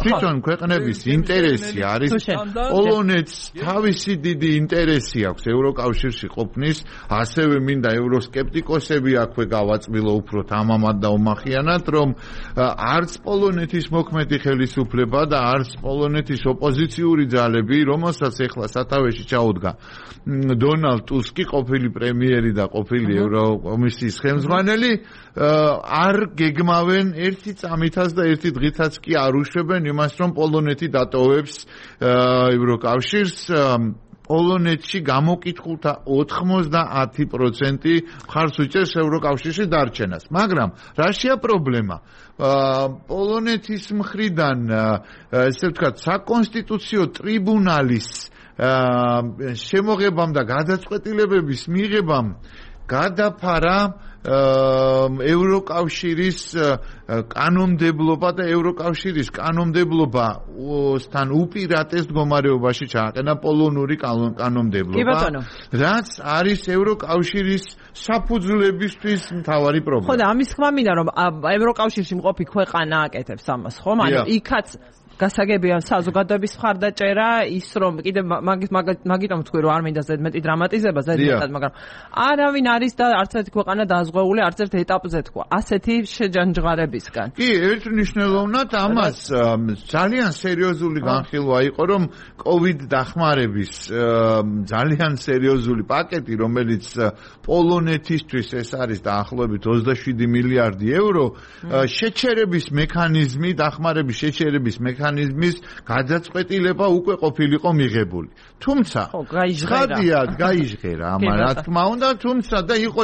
თვითონ ქვეყნების ინტერესი არის. პოლონეთს თავისი დიდი ინტერესი აქვს ევროკავშირში ყოფნის, ასევე მინდა ევროსკეპტიკოსები აქვე გავაწმილო უფრო თამამად და უმახიანად, რომ არც პოლონეთის მოქმედი ხელისუფლება და არც პოლონეთის ოპოზიციური ძალები, რომელსაც ეხლა სათავეში ჩაუდგა დონალდ ტუსკი, ყოფილი პრემიერი და ყოფილი ევროკომისიის ხელმძღვანელი, არ გეგმავენ ერთი წამითაც და ერთი დღითაც კი არ უშვებენ იმას, რომ პოლონეთი დატოვებს ევროკავშირს. პოლონეთში გამოკითხულთა ოთხმოცდაათი პროცენტი მხარს უჭერს ევროკავშირში დარჩენას. მაგრამ რაშია პრობლემა? პოლონეთის მხრიდან ესე ვთქვათ, საკონსტიტუციო ტრიბუნალის შემოღებამ და გადაწყვეტილებების მიღებამ გადაფარა ევროკავშირის კანონმდებლობა და ევროკავშირის კანონმდებლობასთან უპირატეს მდგომარეობაში ჩააყენა პოლონური კანონმდებლობა, რაც არის ევროკავშირის საფუძვლებისთვის მთავარი პრობლემა. ხო და ამის თქმა მინდა, რომ ევროკავშირში მყოფი ქვეყანა აკეთებს ამას, ხო? ანუ იქაც გასაგებია საზოგადოების მხარდაჭერა, ის რომ კიდე მაგიტომ თქვი რომ არ მინდა ზედმეტი დრამატიზება ზედმეტად, მაგრამ არავინ არის და არც ერთი ქვეყანა დაზღვეული არც ერთ ეტაპზე თქვა ასეთი შეჯანჯღარებისგან. კი, ერთნიშნულოვნად ამას ძალიან სერიოზული განხილვა იყო, რომ კოვიდ დახმარების ძალიან სერიოზული პაკეტი, რომელიც პოლონეთისთვის ეს არის დაახლოებით ოცდაშვიდი მილიარდი ევრო, შეჩერების მექანიზმი, დახმარების შეჩერების მექანიზმი მექანიზმის გადაწყვეტილება უკვე ყოფილიყო მიღებული. თუმცა, ხადია, გაიჟღერა ამან, რა თქმა უნდა, თუმცა და იყო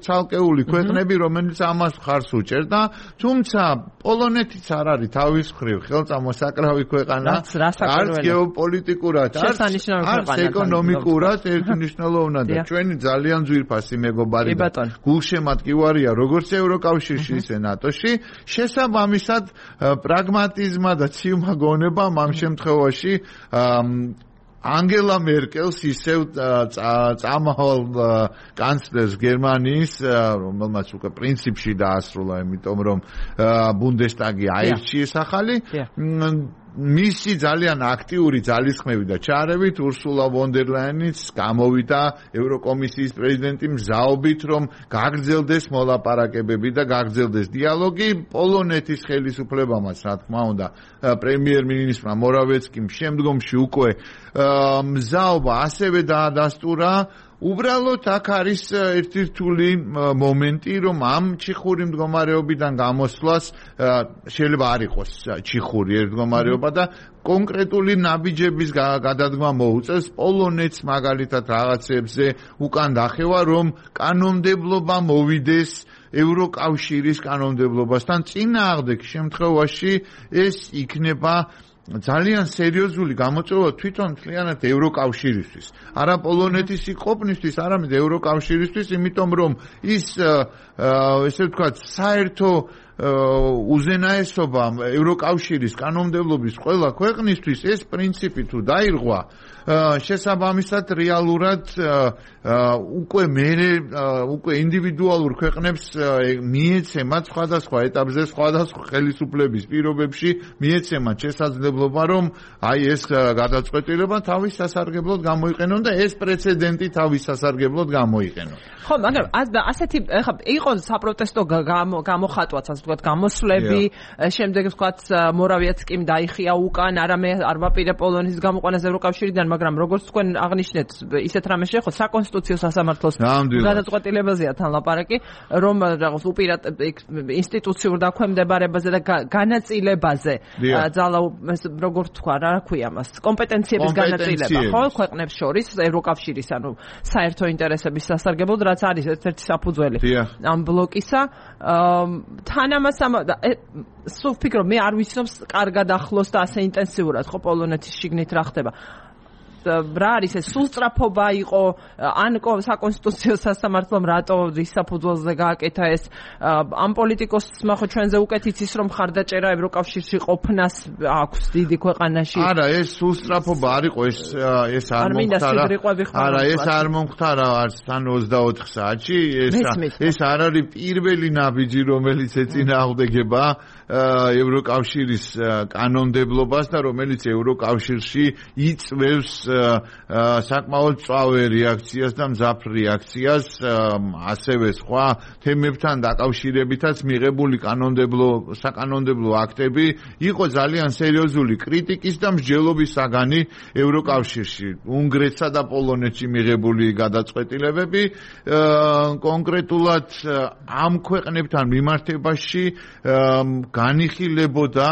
ცალკეული ქვეყნები, რომელიც ამას მხარს უჭერდა, თუმცა პოლონეთიც არ არის თავის მხრივ ხელწამოსაკრავი ქვეყანა, არც გეოპოლიტიკურად, არც ეკონომიკურად ერთმნიშვნელოვნად და ჩვენი ძალიან ძვირფასი მეგობარი და გულშემატკივარია როგორც ევროკავშირში, ისე ნატოში, შესაბამისად პრაგმატიზმა და მაგონება ამ შემთხვევაში ანგელა მერკელს ისევ წამავალ კანცლერს გერმანიის, რომელმაც უკვე პრინციპში დაასრულა, იმიტომ რომ ბუნდესტაგი აირჩიეს ახალი, მისი ძალიან აქტიური ძალისხმევი და ჩარევით ურსულა ვონ დერ ლაინიც გამოვიდა ევროკომისიის პრეზიდენტი მზაობით, რომ გაგრძელდეს მოლაპარაკებები და გაგრძელდეს დიალოგი. პოლონეთის ხელისუფლებამაც, რა თქმა უნდა, პრემიერ-მინისტრმა მორავეცკიმ შემდგომში უკვე მზაობა ასევე დაადასტურა. უბრალოდ აქ არის ერთი რთული მომენტი, რომ ამ ჩიხური მდგომარეობიდან გამოსვლას შეიძლება არ იყოს ჩიხური ერთ მდგომარეობა და კონკრეტული ნაბიჯების გადადგმა მოუწევს პოლონეთს მაგალითად რაღაცებზე უკან დახევა, რომ კანონმდებლობა მოვიდეს ევროკავშირის კანონმდებლობასთან. წინააღმდეგ შემთხვევაში ეს იქნება ძალიან სერიოზული გამოწვევა თვითონ მთლიანად ევროკავშირისთვის. არა პოლონეთის ყოფნისთვის, არამედ ევროკავშირისთვის, იმიტომ რომ ის ესე ვთქვათ, საერთო უზენაესობა ევროკავშირის კანონმდებლობის ყველა ქვეყნისთვის ეს პრინციპი თუ დაირღვა, შესაბამისად რეალურად უკვე მერე უკვე ინდივიდუალურ ქვეყნებს მიეცემათ სხვადასხვა ეტაპზე სხვადასხვა ხელისუფლების პირობებში მიეცემათ შესაძლებლობა, რომ აი ეს გადაწყვეტილება თავის სასარგებლოდ გამოიყენონ და ეს პრეცედენტი თავის სასარგებლოდ გამოიყენონ. ხო, მაგრამ ასეთი ხა იყო საპროტესტო გამოხატვაც, ასე ვთქვათ, გამოსვლები, შემდეგ ვთქვათ, მორავიაცკიმ დაიხია უკან, არამე არ ვაპირე პოლონეთის გამოყვანას ევროკავშირიდან, მაგრამ როგორც თქვენ აღნიშნეთ, ისეთ რამე შეეხო საკონსტიტუციო სასამართლოს გადაწყვეტილებაზეა თან ლაპარაკი, რომ რაღაც უპირატ ინსტიტუციურ დაქვემდებარებაზე და განაწილებაზე ძალა როგორც თქვა, რა ქვია მას, კომპეტენციების განაწილება, ხო, ქვეყნებს შორის ევროკავშირის, ანუ საერთო ინტერესების სასარგებლოდ, რაც არის ერთ-ერთი საფუძველი ამ ბლოკისა. თან ამას სულ ვფიქრობ, მე არ ვიცნობ კარგად ახლოს და ასე ინტენსიურად, ხო, პოლონეთის შიგნით რა ხდება. რა არის ეს სულსწრაფობა იყო ან საკონსტიტუციო სასამართლომ რატო რისაფუძველზე გააკეთა ეს ამ პოლიტიკოსმა ხო ჩვენზე უკეთ იცის რომ ხარდაჭერა ევროკავშირში ყოფნას აქვს დიდი ქვეყანაში არა ეს სულსწრაფობა არ იყო ეს ეს არ მომხდარა არა ეს არ მომხდარა არც თან ოცდაოთხ საათში ეს ეს არ არის პირველი ნაბიჯი რომელიც ეწინააღმდეგება ევროკავშირის კანონმდებლობას და რომელიც ევროკავშირში იწვევს საკმაოდ მწვავე რეაქციას და მძაფრ რეაქციას ასევე სხვა თემებთან დაკავშირებითაც მიღებული კანონმდებლო საკანონმდებლო აქტები იყო ძალიან სერიოზული კრიტიკის და მსჯელობის საგანი ევროკავშირში უნგრეთსა და პოლონეთში მიღებული გადაწყვეტილებები კონკრეტულად ამ ქვეყნებთან მიმართებაში განიხილებოდა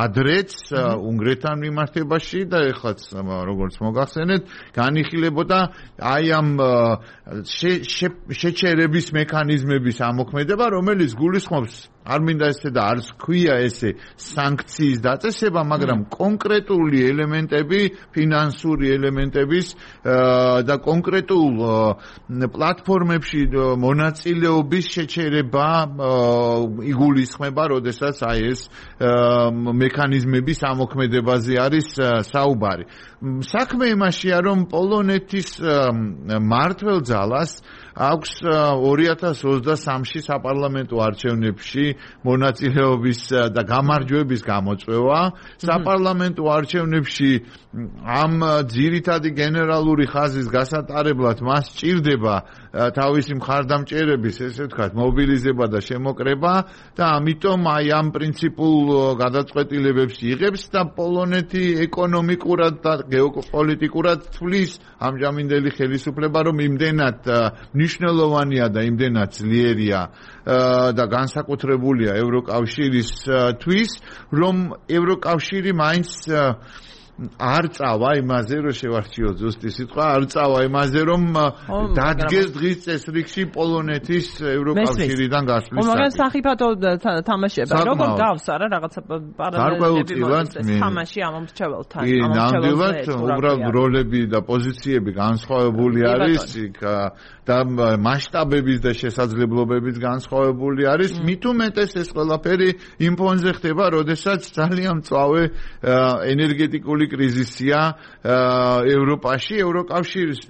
ადრეც უნგრეთთან მიმართებაში და ეხლაც როგორც მოგახსენეთ განიხილებოდა აი ამ შეჩერების მექანიზმების ამოქმედება რომელიც გულისხმობს არ მინდა ესე და არც ქვია ესე სანქციის დაწესება მაგრამ კონკრეტული ელემენტები ფინანსური ელემენტების და კონკრეტულ პლატფორმებში მონაწილეობის შეჩერება იგულისხმება როდესაც აი ეს მექანიზმების ამოქმედებაზე არის საუბარი საქმე იმაშია რომ პოლონეთის მმართველ ძალას აქვს ორი ათას ოცდასამში საპარლამენტო არჩევნებში მონაწილეობის და გამარჯვების გამოწვევა საპარლამენტო არჩევნებში ამ ძირითადი გენერალური ხაზის გასატარებლად მას სჭირდება თავისი მხარდამჭერების ესე ვთქვათ მობილიზება და შემოკრება და ამიტომ აი ამ პრინციპულ გადაწყვეტილებებს იღებს და პოლონეთი ეკონომიკურად და გეოპოლიტიკურად თვლის ამჟამინდელი ხელისუფლება რომ იმდენად მნიშვნელოვანია და იმდენად ძლიერია და განსაკუთრებულია ევროკავშირისთვის რომ ევროკავშირი მაინც არ წავა იმაზე რომ შევარჩიოთ ზუსტი სიტყვა არ წავა имазе რომ დადგეს დღის წესრიგში პოლონეთის ევროკავშირიდან გასვლის მაგრამ სახიფათო თამაშება როგორ გავს არა რაღაცა პარალელები თამაში ამ მრჩეველთან ამ მრჩეველთან უბრალოდ როლები და პოზიციები განსხვავებული არის იქ და მასშტაბების და შესაძლებლობების განსხვავებული არის მით უმეტეს ეს ყველაფერი იმ ფონზე ხდება როდესაც ძალიან მწვავე ენერგეტიკული კრიზისია ევროპაში ევროკავშირის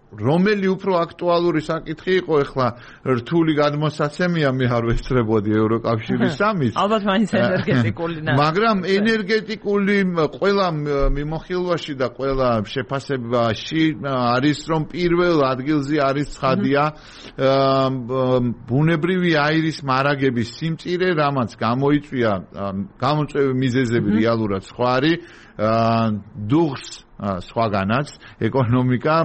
რომელი უფრო აქტუალური საკითხი იყო ეხლა რთული გადმოსაცემია მე არ ვესწრებოდი ევროკავშირის სამის ალბათ მაინც ენერგეტიკული მაგრამ ენერგეტიკული ყველა მიმოხილვაში და ყველა შეფასებაში არის რომ პირველ ადგილზე არის ცხადია ბუნებრივი აირის მარაგების სიმწირე რამაც გამოიწვია გამოწვევი მიზეზები რეალურად სხვა არის დუღს სხვაგანაც ეკონომიკა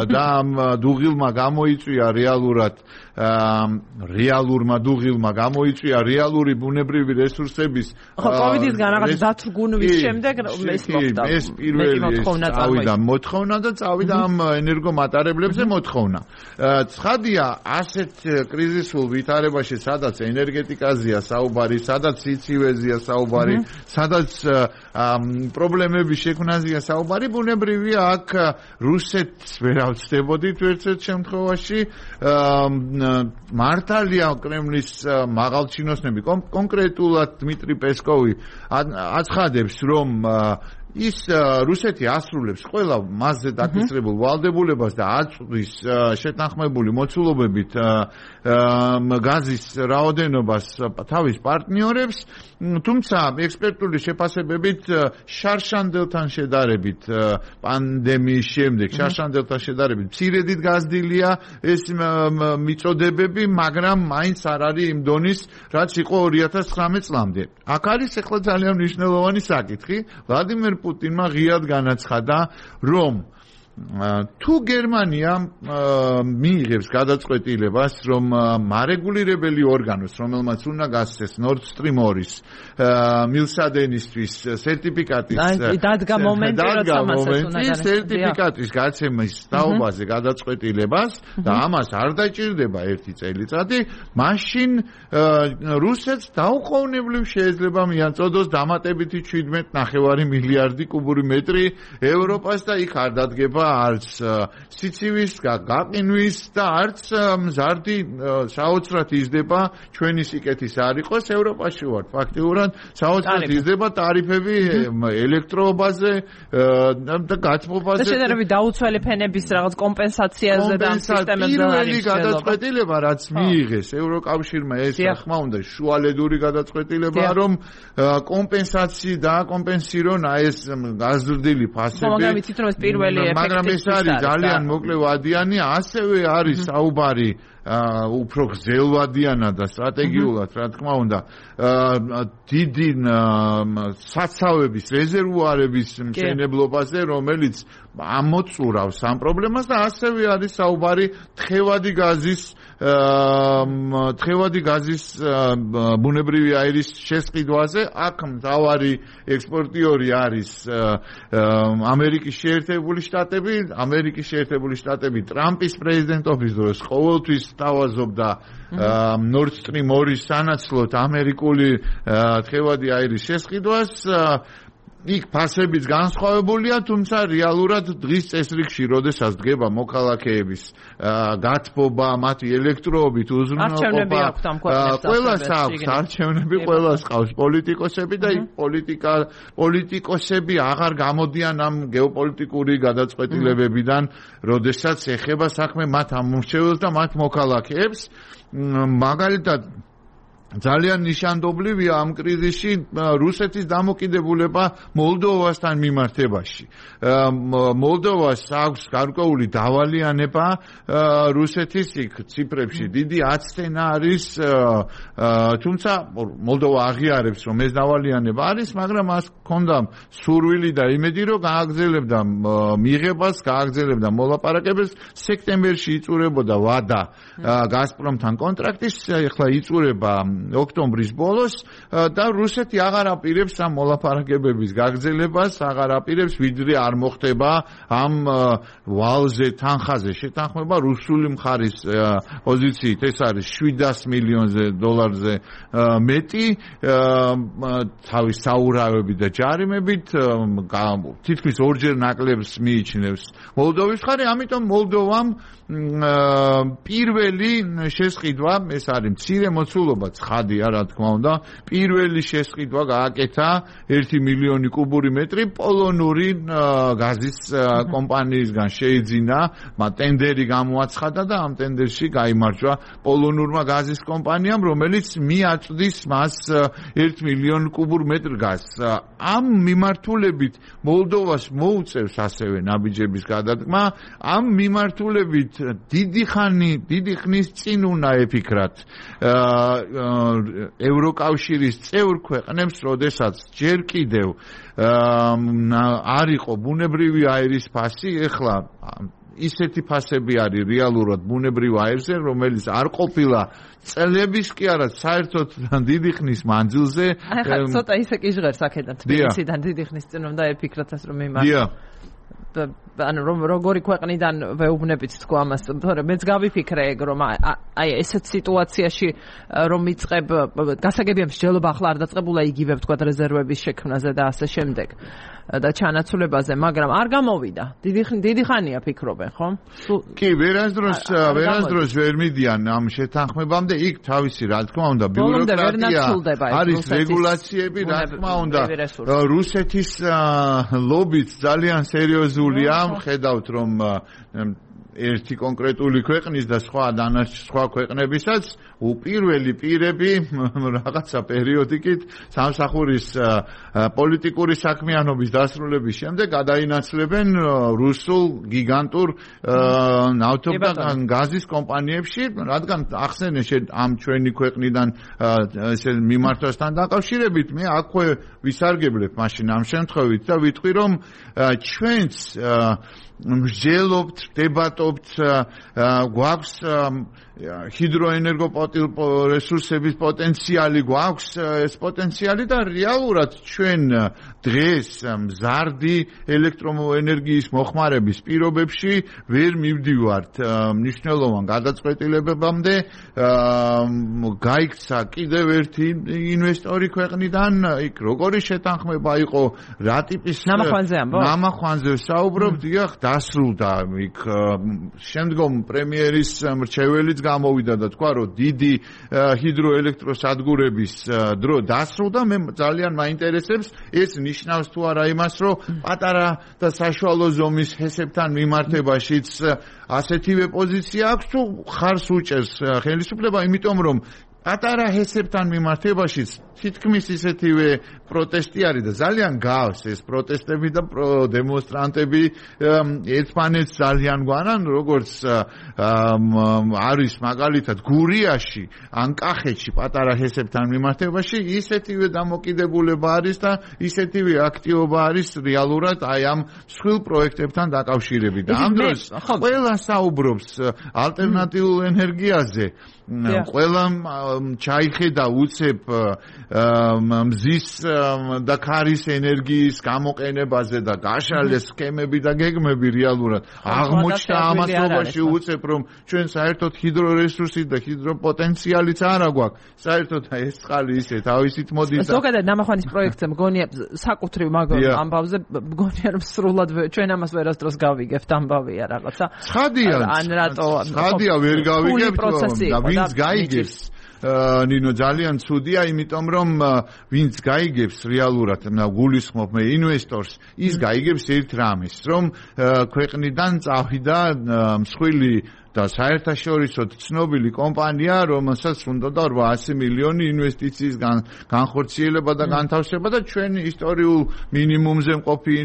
და ამ დუღილმა გამოიწვია რეალურად რეალურმა დუღილმა გამოიწვია რეალური ბუნებრივი რესურსების ხო კოვიდისგან რაღაც დათრგუნვის შემდეგ ეს მოხდა ეს პირველი წავიდა მოთხოვნა და წავიდა ამ ენერგომატარებლებზე მოთხოვნა ცხადია ასეთ კრიზისულ ვითარებაში სადაც ენერგეტიკაზეა საუბარი სადაც სიცივეზეა საუბარი სადაც პრობლემების შექმნაზეა საუბარი ბუნებრივია აქ რუსეთს ვერ ავწდებოდით ერთ-ერთ შემთხვევაში მართალია კრემლის მაღალჩინოსნები კონკრეტულად დმიტრი პესკოვი აცხადებს რომ ის რუსეთი ასრულებს ყველა მასზე დაკისრებულ ვალდებულებას და აწვდის შეთანხმებული მოცულობებით გაზის რაოდენობას თავის პარტნიორებს თუმცა ექსპერტული შეფასებებით შარშანდელთან შედარებით პანდემიის შემდეგ შარშანდელთან შედარებით მცირედით გაზრდილია ეს მიწოდებები მაგრამ მაინც არ არის იმ დონის რაც იყო ორი ათას ცხრამეტ წლამდე აქ არის ახლა ძალიან მნიშვნელოვანი საკითხი ვლადიმერ პუტინმა ღიად განაცხადა რომ თუ გერმანია მიიღებს გადაწყვეტილებას, რომ მარეგულირებელი ორგანოს, რომელმაც უნდა გასცეს Nord Stream ორი-ის მილსადენისთვის სერტიფიკატის დადგა მომენტი, როცა მასაც უნდა განაცხადოს სერტიფიკატის გაცემის თაობაზე გადაწყვეტილებას და ამას არ დაჭირდება ერთი წელიწადი, მაშინ რუსეთს დაუყოვნებლივ შეიძლება მიაწოდოს დამატებითი შვიდმეტ ნახევარი მილიარდი კუბური მეტრი ევროპას და იქ არ დადგება არც სიცივის გაყინვის და არც მზარდი საოცრად იზრდება ჩვენი სიკეთის არ იყოს ევროპაში ვართ ფაქტიურად საოცრად იზრდება ტარიფები ელექტროობაზე და გაცმობაზე და შედარებით დაუცველი ფენების რაღაც კომპენსაციაზე და ამ სისტემებზე პირველი გადაწყვეტილება რაც მიიღეს ევროკავშირმა ეს რა თქმა უნდა შუალედური გადაწყვეტილებაა რომ კომპენსაცი და კომპენსირონ აი ეს გაზრდილი ფასები მაგრამ იცით რომ ეს პირველი ეფექტი მაგრამ ეს არის ძალიან მოკლე ვადიანი, ასევე არის საუბარი უფრო გრძელვადიანად და სტრატეგიულად, რა თქმა უნდა, დიდი საცავების რეზერვუარების მშენებლობაზე, რომელიც ამოწურავს ამ პრობლემას და ასევე არის საუბარი თხევადი გაზის თხევადი გაზის ბუნებრივი აირის შესყიდვაზე. აქ მთავარი ექსპორტიორი არის ამერიკის შეერთებული შტატები. ამერიკის შეერთებული შტატები ტრამპის პრეზიდენტობის დროს ყოველთვის თავაზობდა Nord Stream ორი-ის სანაცვლოდ ამერიკული თხევადი აირის შესყიდვას. იქ ფასებიც განსხვავებულია, თუმცა რეალურად დღის წესრიგში, როდესაც დგება მოქალაქეების გათბობა, მათი ელექტროობით უზრუნველყოფა, ყველას აქვს არჩევნები, ყველას ყავს პოლიტიკოსები და იქ პოლიტიკა პოლიტიკოსები აღარ გამოდიან ამ გეოპოლიტიკური გადაწყვეტილებებიდან, როდესაც ეხება საქმე მათ ამომრჩეველს და მათ მოქალაქეებს. მაგალითად ძალიან ნიშანდობლივია ამ კრიზისში რუსეთის დამოკიდებულება მოლდოვასთან მიმართებაში. მოლდოვას აქვს გარკვეული დავალიანება რუსეთის იქ ციფრებში დიდი აცტენა არის, თუმცა მოლდოვა აღიარებს რომ ეს დავალიანება არის, მაგრამ მას ჰქონდა სურვილი და იმედი რომ გააგრძელებდა მიღებას, გააგრძელებდა მოლაპარაკებებს. სექტემბერში იწურებოდა ვადა გაზპრომთან კონტრაქტის, ეხლა იწურება ოქტომბრის ბოლოს და რუსეთი აღარ აპირებს ამ მოლაპარაკებების გაგრძელებას, აღარ აპირებს, ვიდრე არ მოხდება ამ ვალზე თანხაზე შეთანხმება რუსული მხარის პოზიციით. ეს არის შვიდასი მილიონზე დოლარზე მეტი თავის საურავებით და ჯარიმებით, თითქმის ორჯერ ნაკლებს მიიჩნევს მოლდოვის მხარე, ამიტომ მოლდოვამ პირველი შესყიდვა, ეს არის მცირე მოცულობა, ცხადია რა თქმა უნდა, პირველი შესყიდვა გააკეთა ერთი მილიონი კუბური მეტრი პოლონური გაზის კომპანიისგან შეიძინა, მათ ტენდერი გამოაცხადა და ამ ტენდერში გაიმარჯვა პოლონურმა გაზის კომპანიამ, რომელიც მიაწვდის მას ერთ მილიონ კუბურ მეტრ გაზს. ამ მიმართულებით მოლდოვას მოუწევს ასევე ნაბიჯების გადადგმა, ამ მიმართულებით დიდი ხანი, დიდი ხნის წინ უნდა ეფიქრათ ევროკავშირის წევრ ქვეყნებს, როდესაც ჯერ კიდევ არ იყო ბუნებრივი აირის ფასი, ეხლა ისეთი ფასები არის რეალურად ბუნებრივ აირზე, რომელიც არ ყოფილა წლების კი არა, საერთოდ დიდი ხნის მანძილზე. ახლა ცოტა ისე კი ჟღერს აქედან თბილისიდან დიდი ხნის წინ უნდა ეფიქრათ ეს რომ იმართოს. ანუ რომ როგორი ქვეყნიდან ვეუბნებით თქო ამას, თორემ მეც გავიფიქრე ეგ რომ აი ესეთ სიტუაციაში რომ იწყებ გასაგებია მსჯელობა ახლა არ დაწყებულა იგივე ვთქვა რეზერვების შექმნაზე და ასე შემდეგ და ჩანაცვლებაზე, მაგრამ არ გამოვიდა. დიდი დიდი ხანია ფიქრობენ, ხო? კი, ვერასდროს ვერასდროს ვერ მიდიან ამ შეთანხმებამდე, იქ თავისი რა თქმა უნდა ბიუროკრატია არის, რეგულაციები, რა თქმა უნდა რუსეთის ლობიც ძალიან სერიოზულია, ხედავთ რომ ერთი კონკრეტული ქვეყნის და სხვა სხვა ქვეყნებისაც უპირველი პირები რაღაცა პერიოდიკით სამსახურის პოლიტიკური საქმიანობის დასრულების შემდეგ გადაინაცვლებენ რუსულ გიგანტურ ნავთობ და გაზის კომპანიებში, რადგან ახსენე ამ ჩვენი ქვეყნიდან ესე მიმართვასთან დაკავშირებით მე აქვე ვისარგებლებ მაშინ ამ შემთხვევით და ვიტყვი რომ ჩვენც მსჯელობთ, დებატობთ, გვაქვს ჰიდროენერგოპოტენციალების პოტენციალი, გვაქვს ეს პოტენციალი და რეალურად ჩვენ დღეს მზარდი ელექტროენერგიის მოხმარების პირობებში ვერ მივდივართ მნიშვნელოვან გადაწყვეტილებებამდე. გაიქცა კიდევ ერთი ინვესტორი ქვეყნიდან, იქ როგორი შეთანხმება იყო, რა ტიპის ნამახვანზე საუბრობ, დიახ, დასრულდა იქ შემდგომ პრემიერის მრჩეველიც გამოვიდა და თქვა რომ დიდი ჰიდროელექტროსადგურების დრო დასრულდა. მე ძალიან მაინტერესებს ეს ნიშნავს თუ არა იმას რომ პატარა და საშუალო ზომის ჰესებთან მიმართებაშიც ასეთივე პოზიცია აქვს თუ ხარს უჭერს ხელისუფლება, იმიტომ რომ პატარა ჰესებთან მიმართებაშიც თითქმის ისეთივე პროტესტი არის და ძალიან გავს ეს პროტესტები და დემონსტრანტები ერთმანეთს ძალიან გვანან, როგორც არის მაგალითად გურიაში ან კახეთში პატარა ჰესებთან მიმართებაში ისეთივე დამოკიდებულება არის და ისეთივე აქტივობა არის რეალურად აი ამ მსხვილ პროექტებთან დაკავშირებით და ამ დროს ყველა საუბრობს ალტერნატიულ ენერგიაზე, ყველა ჩაიხედა უცებ მზის და ქარის ενέργიის გამოყენებაზე და გაშალეს სქემები და გეგმები რეალურად აღმოჩნდა ამასობაში უცებ რომ ჩვენ საერთოდ ჰიდრორესურსი და ჰიდროპოტენციალიც არა გვაქვს, საერთოდ ეს წყალი ისე თავისით მოდის. ზოგადად ნამახვანის პროექტზე მგონია საკუთრივ მაგ ამბავზე მგონია რომ სრულად ჩვენ ამას ვერასდროს გავიგებთ ამბავია რაღაცა. ცხადია, ან რატო ცხადია ვერ გავიგებთ და ვინც გაიგებს ნინო ძალიან ცუდია, იმიტომ რომ ვინც გაიგებს რეალურად გულისხმობ მე ინვესტორს, ის გაიგებს ერთ რამეს, რომ ქვეყნიდან წავიდა მსხვილი და საერთაშორისო ცნობილი კომპანია, რომელსაც უნდა რვაასი მილიონი ინვესტიციის განხორციელება და განთავსება და ჩვენ ისტორიულ მინიმუმზე მყოფი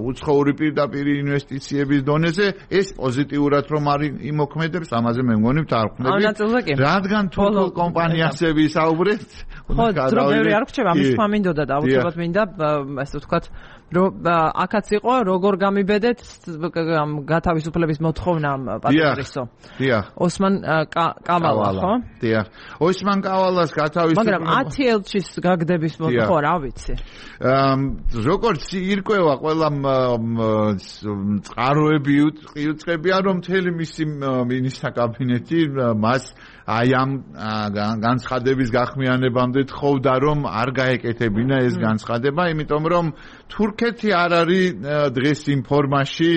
უცხოური პირდაპირ ინვესტიციების დონეზე ეს პოზიტიურად რომ არის იმოქმედებს, ამაზე მე მგონი ვთარხმდები. რადგან თურქულ კომპანიაზე ვისაუბრებთ, ხო, დრო ბევრი არ გრჩება, ამის თქმა მინდოდა და აუცილებლად მინდა ასე ვთქვათ რომ აქაც იყო როგორ გამიბედეთ გათავისუფლების მოთხოვნა პატრიოტისო. დიახ. ოსმან კავალა, ხო? დიახ. ოსმან კავალას გათავისუფლება. მაგრამ ათი ელჩის გაგდების მოთხო რა ვიცი. როგორც ირკვევა ყველა წყაროები იუწყებიან რომ მთელი მისი მინისტრთა კაბინეტი მას აი ამ განცხადების გახმიანებამდე თხოვდა რომ არ გაეკეთებინა ეს განცხადება, იმიტომ რომ თურქეთი არ არის დღეს იმ ფორმაში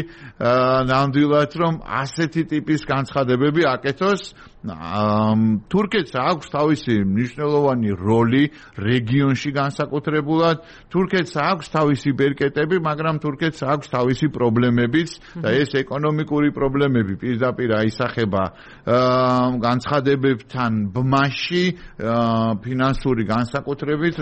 ნამდვილად რომ ასეთი ტიპის განცხადებები აკეთოს. თურქეთს აქვს თავისი მნიშვნელოვანი როლი რეგიონში განსაკუთრებულად, თურქეთს აქვს თავისი ბერკეტები, მაგრამ თურქეთს აქვს თავისი პრობლემებიც და ეს ეკონომიკური პრობლემები პირდაპირ აისახება განცხადებებთან ბმაში, ფინანსური განსაკუთრებით,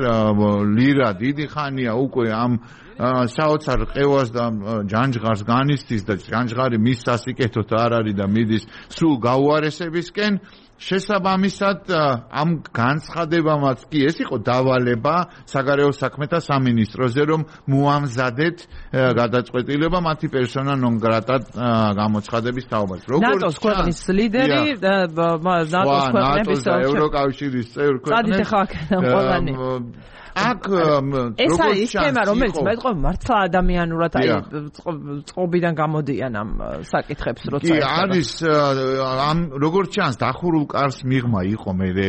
ლირა დიდი ხანია უკვე ამ საოცარ ყევას და ჯანჯღარს განიცდის და ჯანჯღარი მის სასიკეთოდ არ არის და მიდის სულ გაუარესებისკენ. შესაბამისად ამ განცხადებამაც კი ეს იყო დავალება საგარეო საქმეთა სამინისტროზე რომ მოამზადეთ გადაწყვეტილება მათი პერსონა ნონ გრატად გამოცხადების თაობაზე. ნატოს ქვეყნის ლიდერი და ნატოს ქვეყნების ევროკავშირის წევრ ქვეყნები აქ ეს არის თემა, რომელიც მეტყვა მართლა ადამიანურად აი წყობიდან გამოდიან ამ საკითხებს როცა კი არის ამ როგორც ჩანს დახურულ კარს მიღმა იყო მე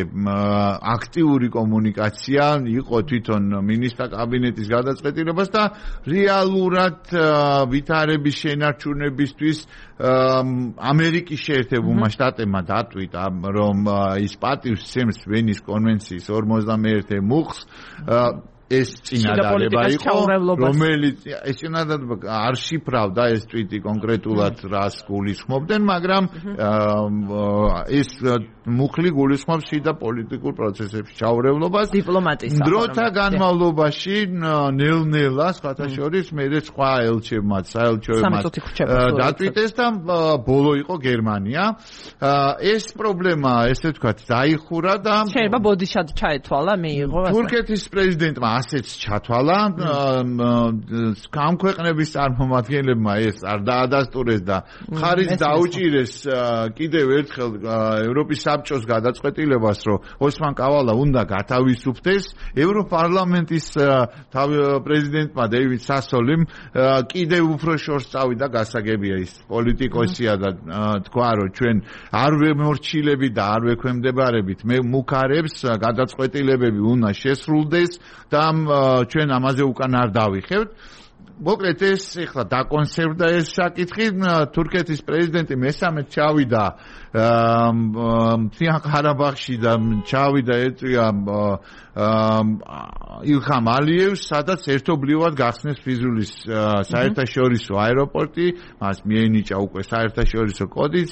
აქტიური კომუნიკაცია იყო თვითონ მინისტრთა კაბინეტის გადაწყვეტილებას და რეალურად ვითარების შენარჩუნებისთვის ამერიკის შეერთებულმა შტატებმა დატვირთა რომ ის პატივს სცემს ვენის კონვენციის ორმოცდამეერთე მუხლს ეს წინადადება იყო, რომელიც ეს წინადადება არ შიფრავდა ეს ტვიტი კონკრეტულად რას გულისხმობდნენ, მაგრამ ეს მუხლი გულისხმობს შიდა პოლიტიკურ პროცესებში ჩაურევლობას, დიპლომატიის დროთა განმავლობაში ნელ-ნელა სხვათა შორის მე სხვა ელჩებმაც, საელჩოებმაც დატვიტეს და ბოლო იყო გერმანია. ეს პრობლემა, ესე ვთქვათ, დაიხურა და შეიძლება ბოდიშად ჩაეთვალა, მიიღო ასე. თურქეთის პრეზიდენტმა ასეც ჩათვალა, ამ ქვეყნების წარმომადგენლებმა ეს არ დაადასტურეს და მხარის დაუჭირეს კიდევ ერთხელ ევროპის საბჭოს გადაწყვეტილებას, რომ ოსმან კავალა უნდა გათავისუფლდეს. ევროპარლამენტის პრეზიდენტმა დეივიდ სასოლიმ კიდევ უფრო შორს წავიდა, გასაგებია ის პოლიტიკოსია და თქვა, რომ ჩვენ არ ვემორჩილებით და არ ვექვემდებარებით მე მუქარებს, გადაწყვეტილებები უნდა შესრულდეს და ჩვენ ამაზე უკან არ დავიხევთ. მოკლედ ეს ეხლა დაკონსერვდა ეს საკითხი. თურქეთის პრეზიდენტი მესამედ ჩავიდა მთიან ყარაბაღში და ჩავიდა ეწვია ილხამ ალიევს, სადაც ერთობლივად გახსნეს ფიზულის საერთაშორისო აეროპორტი, მას მიენიჭა უკვე საერთაშორისო კოდიც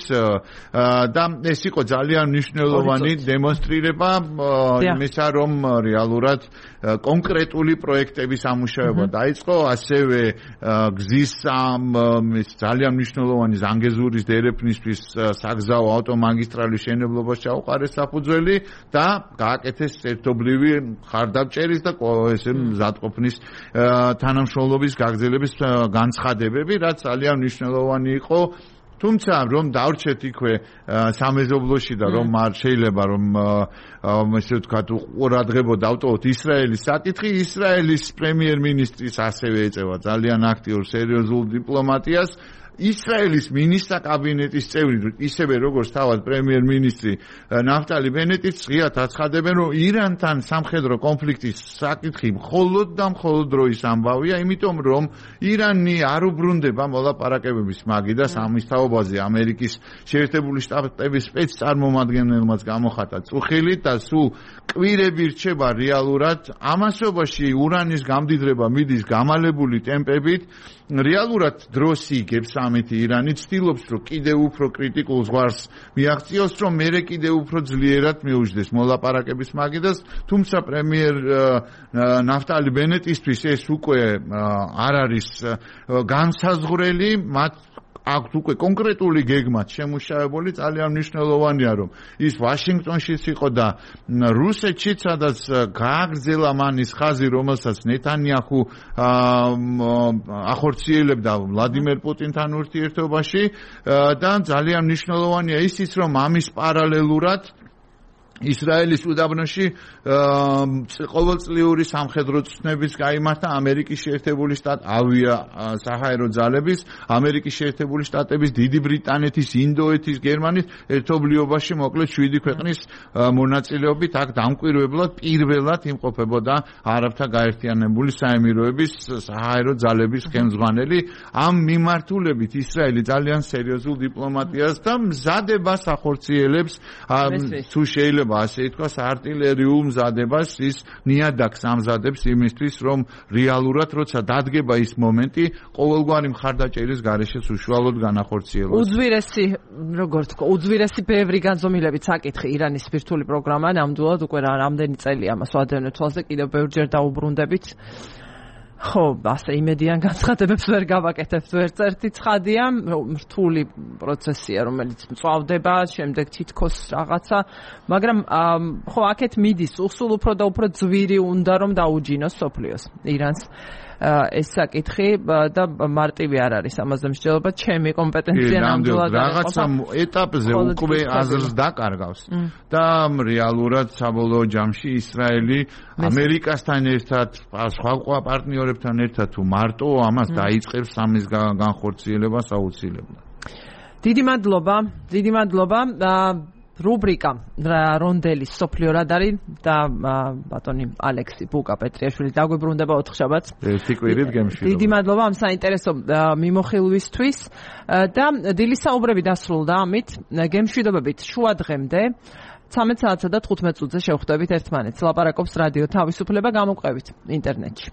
და ეს იყო ძალიან მნიშვნელოვანი დემონსტრირება იმისა, რომ რეალურად კონკრეტული პროექტების ამუშავება დაიწყო, ასევე გზის ძალიან მნიშვნელოვანი ზანგეზურის დერეფნისთვის საგზაო ავტომაგისტრალის შენებლობას ჩაუყარეს საფუძველი და გააკეთეს ერთობლივი ხარდამჭერის და ესე მზადყოფნის თანამშრომლობის გაგრძელების განცხადებები, რაც ძალიან მნიშვნელოვანი იყო. თუმცა რომ დავრჩეთ იქვე სამეზობლოში და რომ არ შეიძლება რომ ესე ვთქვათ ყურადღება დავტოვოთ ისრაელის საკითხი, ისრაელის პრემიერ-მინისტრის ასევე ეწევა ძალიან აქტიურ სერიოზულ დიპლომატიას. ისრაელის მინისტრთა კაბინეტის წევრი, ისევე როგორც თავად პრემიერ-მინისტრი ნაფტალი ბენეტიც ღიად აცხადებენ, რომ ირანთან სამხედრო კონფლიქტის საკითხი მხოლოდ და მხოლოდ დროის ამბავია, იმიტომ რომ ირანი არ უბრუნდება მოლაპარაკებების მაგიდას ამის თაობაზე. ამერიკის შეერთებული შტატების სპეცწარმომადგენელმაც გამოხატა წუხილი და სულ კვირები რჩება რეალურად ამასობაში ურანის გამდიდრება მიდის გამალებული ტემპებით. რეალურად დროს იგებს ამეთი ირანი, ცდილობს რომ კიდევ უფრო კრიტიკულ ზღვარს მიაღწიოს, რომ მერე კიდევ უფრო ძლიერად მიუჯდეს მოლაპარაკების მაგიდას, თუმცა პრემიერ ნაფტალი ბენეტისთვის ეს უკვე არ არის განსაზღვრელი, მათ აქვთ უკვე კონკრეტული გეგმაც შემუშავებული, ძალიან მნიშვნელოვანია, რომ ის ვაშინგტონშიც იყო და რუსეთშიც, სადაც გააგრძელა მანის ხაზი, რომელსაც ნეთანიაჰუ ახორციელებდა ვლადიმერ პუტინთან ურთიერთობაში და ძალიან მნიშვნელოვანია ისიც, რომ ამის პარალელურად ისრაელის უდაბნოში ყოველწლიური სამხედრო ცნებიც გაიმართა ამერიკის შეერთებული შტატ ავია საჰაერო ძალების, ამერიკის შეერთებული შტატების, დიდი ბრიტანეთის, ინდოეთის, გერმანიის ერთობლიობაში მოკლედ შვიდი ქვეყნის მონაწილეობით აქ დამკვირვებლად პირველად იმყოფებოდა არაბთა გაერთიანებული საემიროების საჰაერო ძალების ხელმძღვანელი. ამ მიმართულებით ისრაელი ძალიან სერიოზულ დიპლომატიას და მზადებას ახორციელებს, თუ შეიძლება ასე ითქვას, არტილერიულ მზადებას, ის ნიადაგს ამზადებს იმისთვის, რომ რეალურად როცა დადგება ის მომენტი, ყოველგვარი მხარდაჭერის გარეშეც უშუალოდ განახორციელოს. უძვირესი, როგორც თქვა, უძვირესი ბევრი განზომილებით საკითხი ირანის ბირთვული პროგრამა, ნამდვილად უკვე რამდენი წელია ამას ვადევნებთ თვალზე, კიდევ ბევრჯერ დაუბრუნდებით. ხო, ასე იმედიან განცხადებებს ვერ გავაკეთებთ ვერც ერთი ცხადია, რთული პროცესია, რომელიც მწვავდება, შემდეგ თითქოს რაღაცა, მაგრამ ხო, აქეთ მიდის, სულ უფრო და უფრო ძვირი უნდა რომ დაუჯინოს სოფლიოს ირანს. ეს საკითხი და მარტივი არ არის ამაზე მსჯელობა, ჩემი კომპეტენცია ნამდვილად რაღაცა ეტაპზე უკვე აზრს დაკარგავს და რეალურად საბოლოო ჯამში ისრაელი ამერიკასთან ერთად, სხვა პარტნიორებთან ერთად თუ მარტო ამას დაიწყებს ამის განხორციელებას აუცილებლად. დიდი მადლობა, დიდი მადლობა. რუბრიკა რონდელის სოფლიო რადარი და ბატონი ალექსი ბუკა პეტრიაშვილი დაგვიბრუნდება ოთხშაბათს. ერთი კვირით გემშვიდობა. დიდი მადლობა ამ საინტერესო მიმოხილვისთვის და დილის საუბრები დასრულდა ამით. გემშვიდობებით შუა დღემდე ცამეტ საათსა და თხუთმეტ წუთზე შევხვდებით ერთმანეთს. ლაპარაკობს რადიო თავისუფლება, გამოვყევით ინტერნეტში.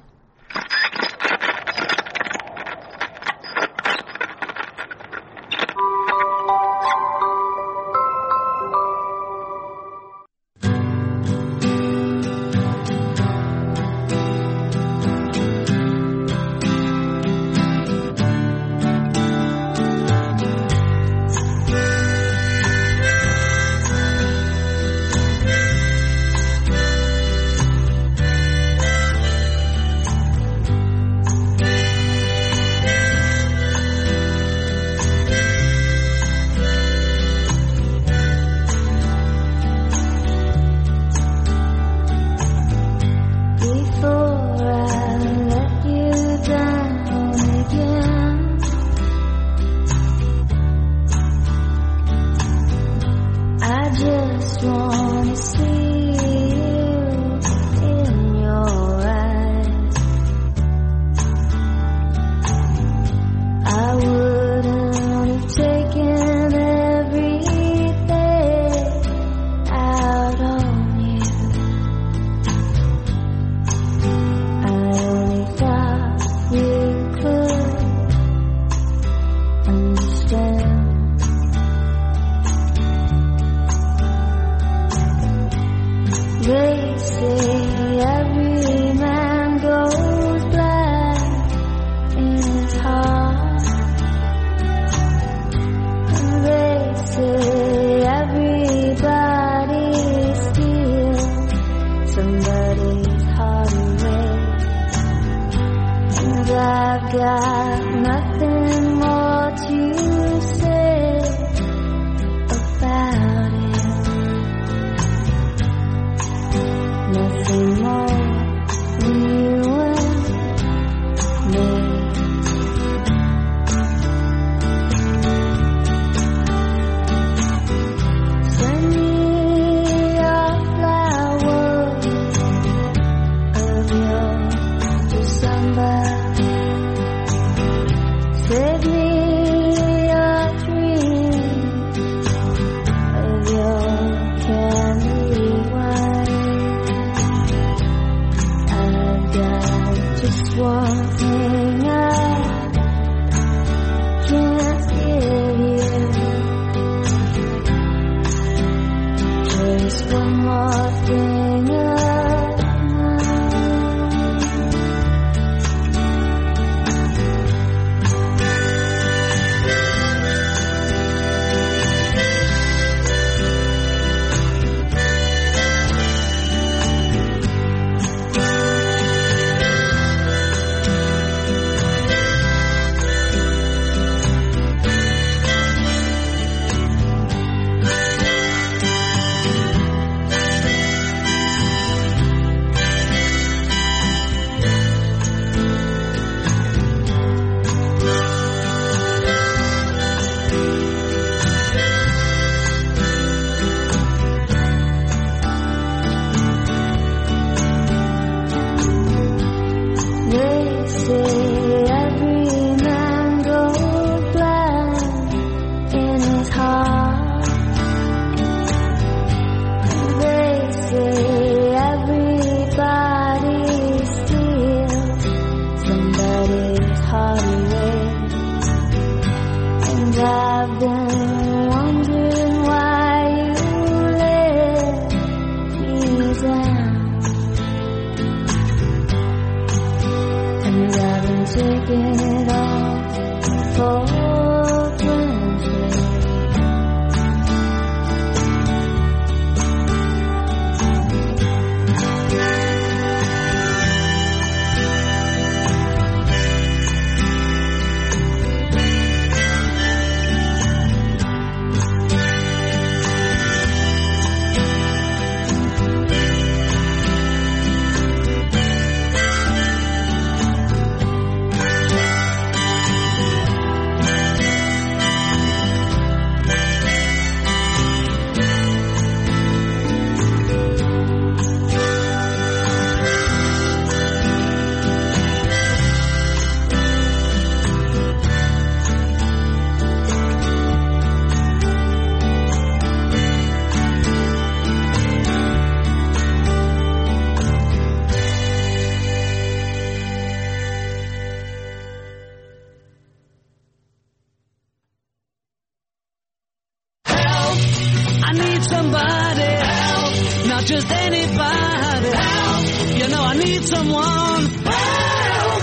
somebody help, not just anybody help. You know I need someone help.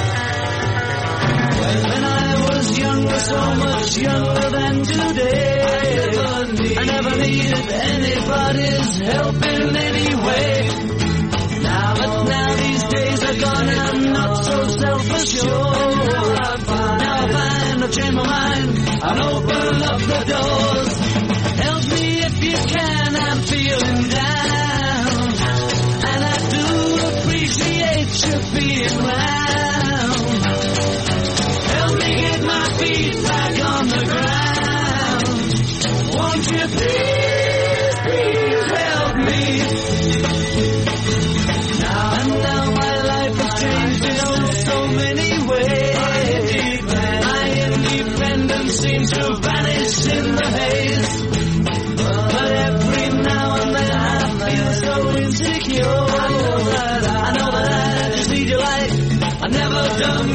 When I was younger, so much younger than today, I never needed anybody's help in any way. Now, but now these days are gone and I'm not so self-assured. Now I find I've changed my mind and open up the doors. Help me if you can, I'm feeling down, and I do appreciate you being round. Help me get my feet back on the ground. Won't you please, please help me? Now and now my life has changed in oh so many ways. My independence seems to vanish in the haze. But every now and then I feel so insecure. I know that I, I know that I just need your light. I've never done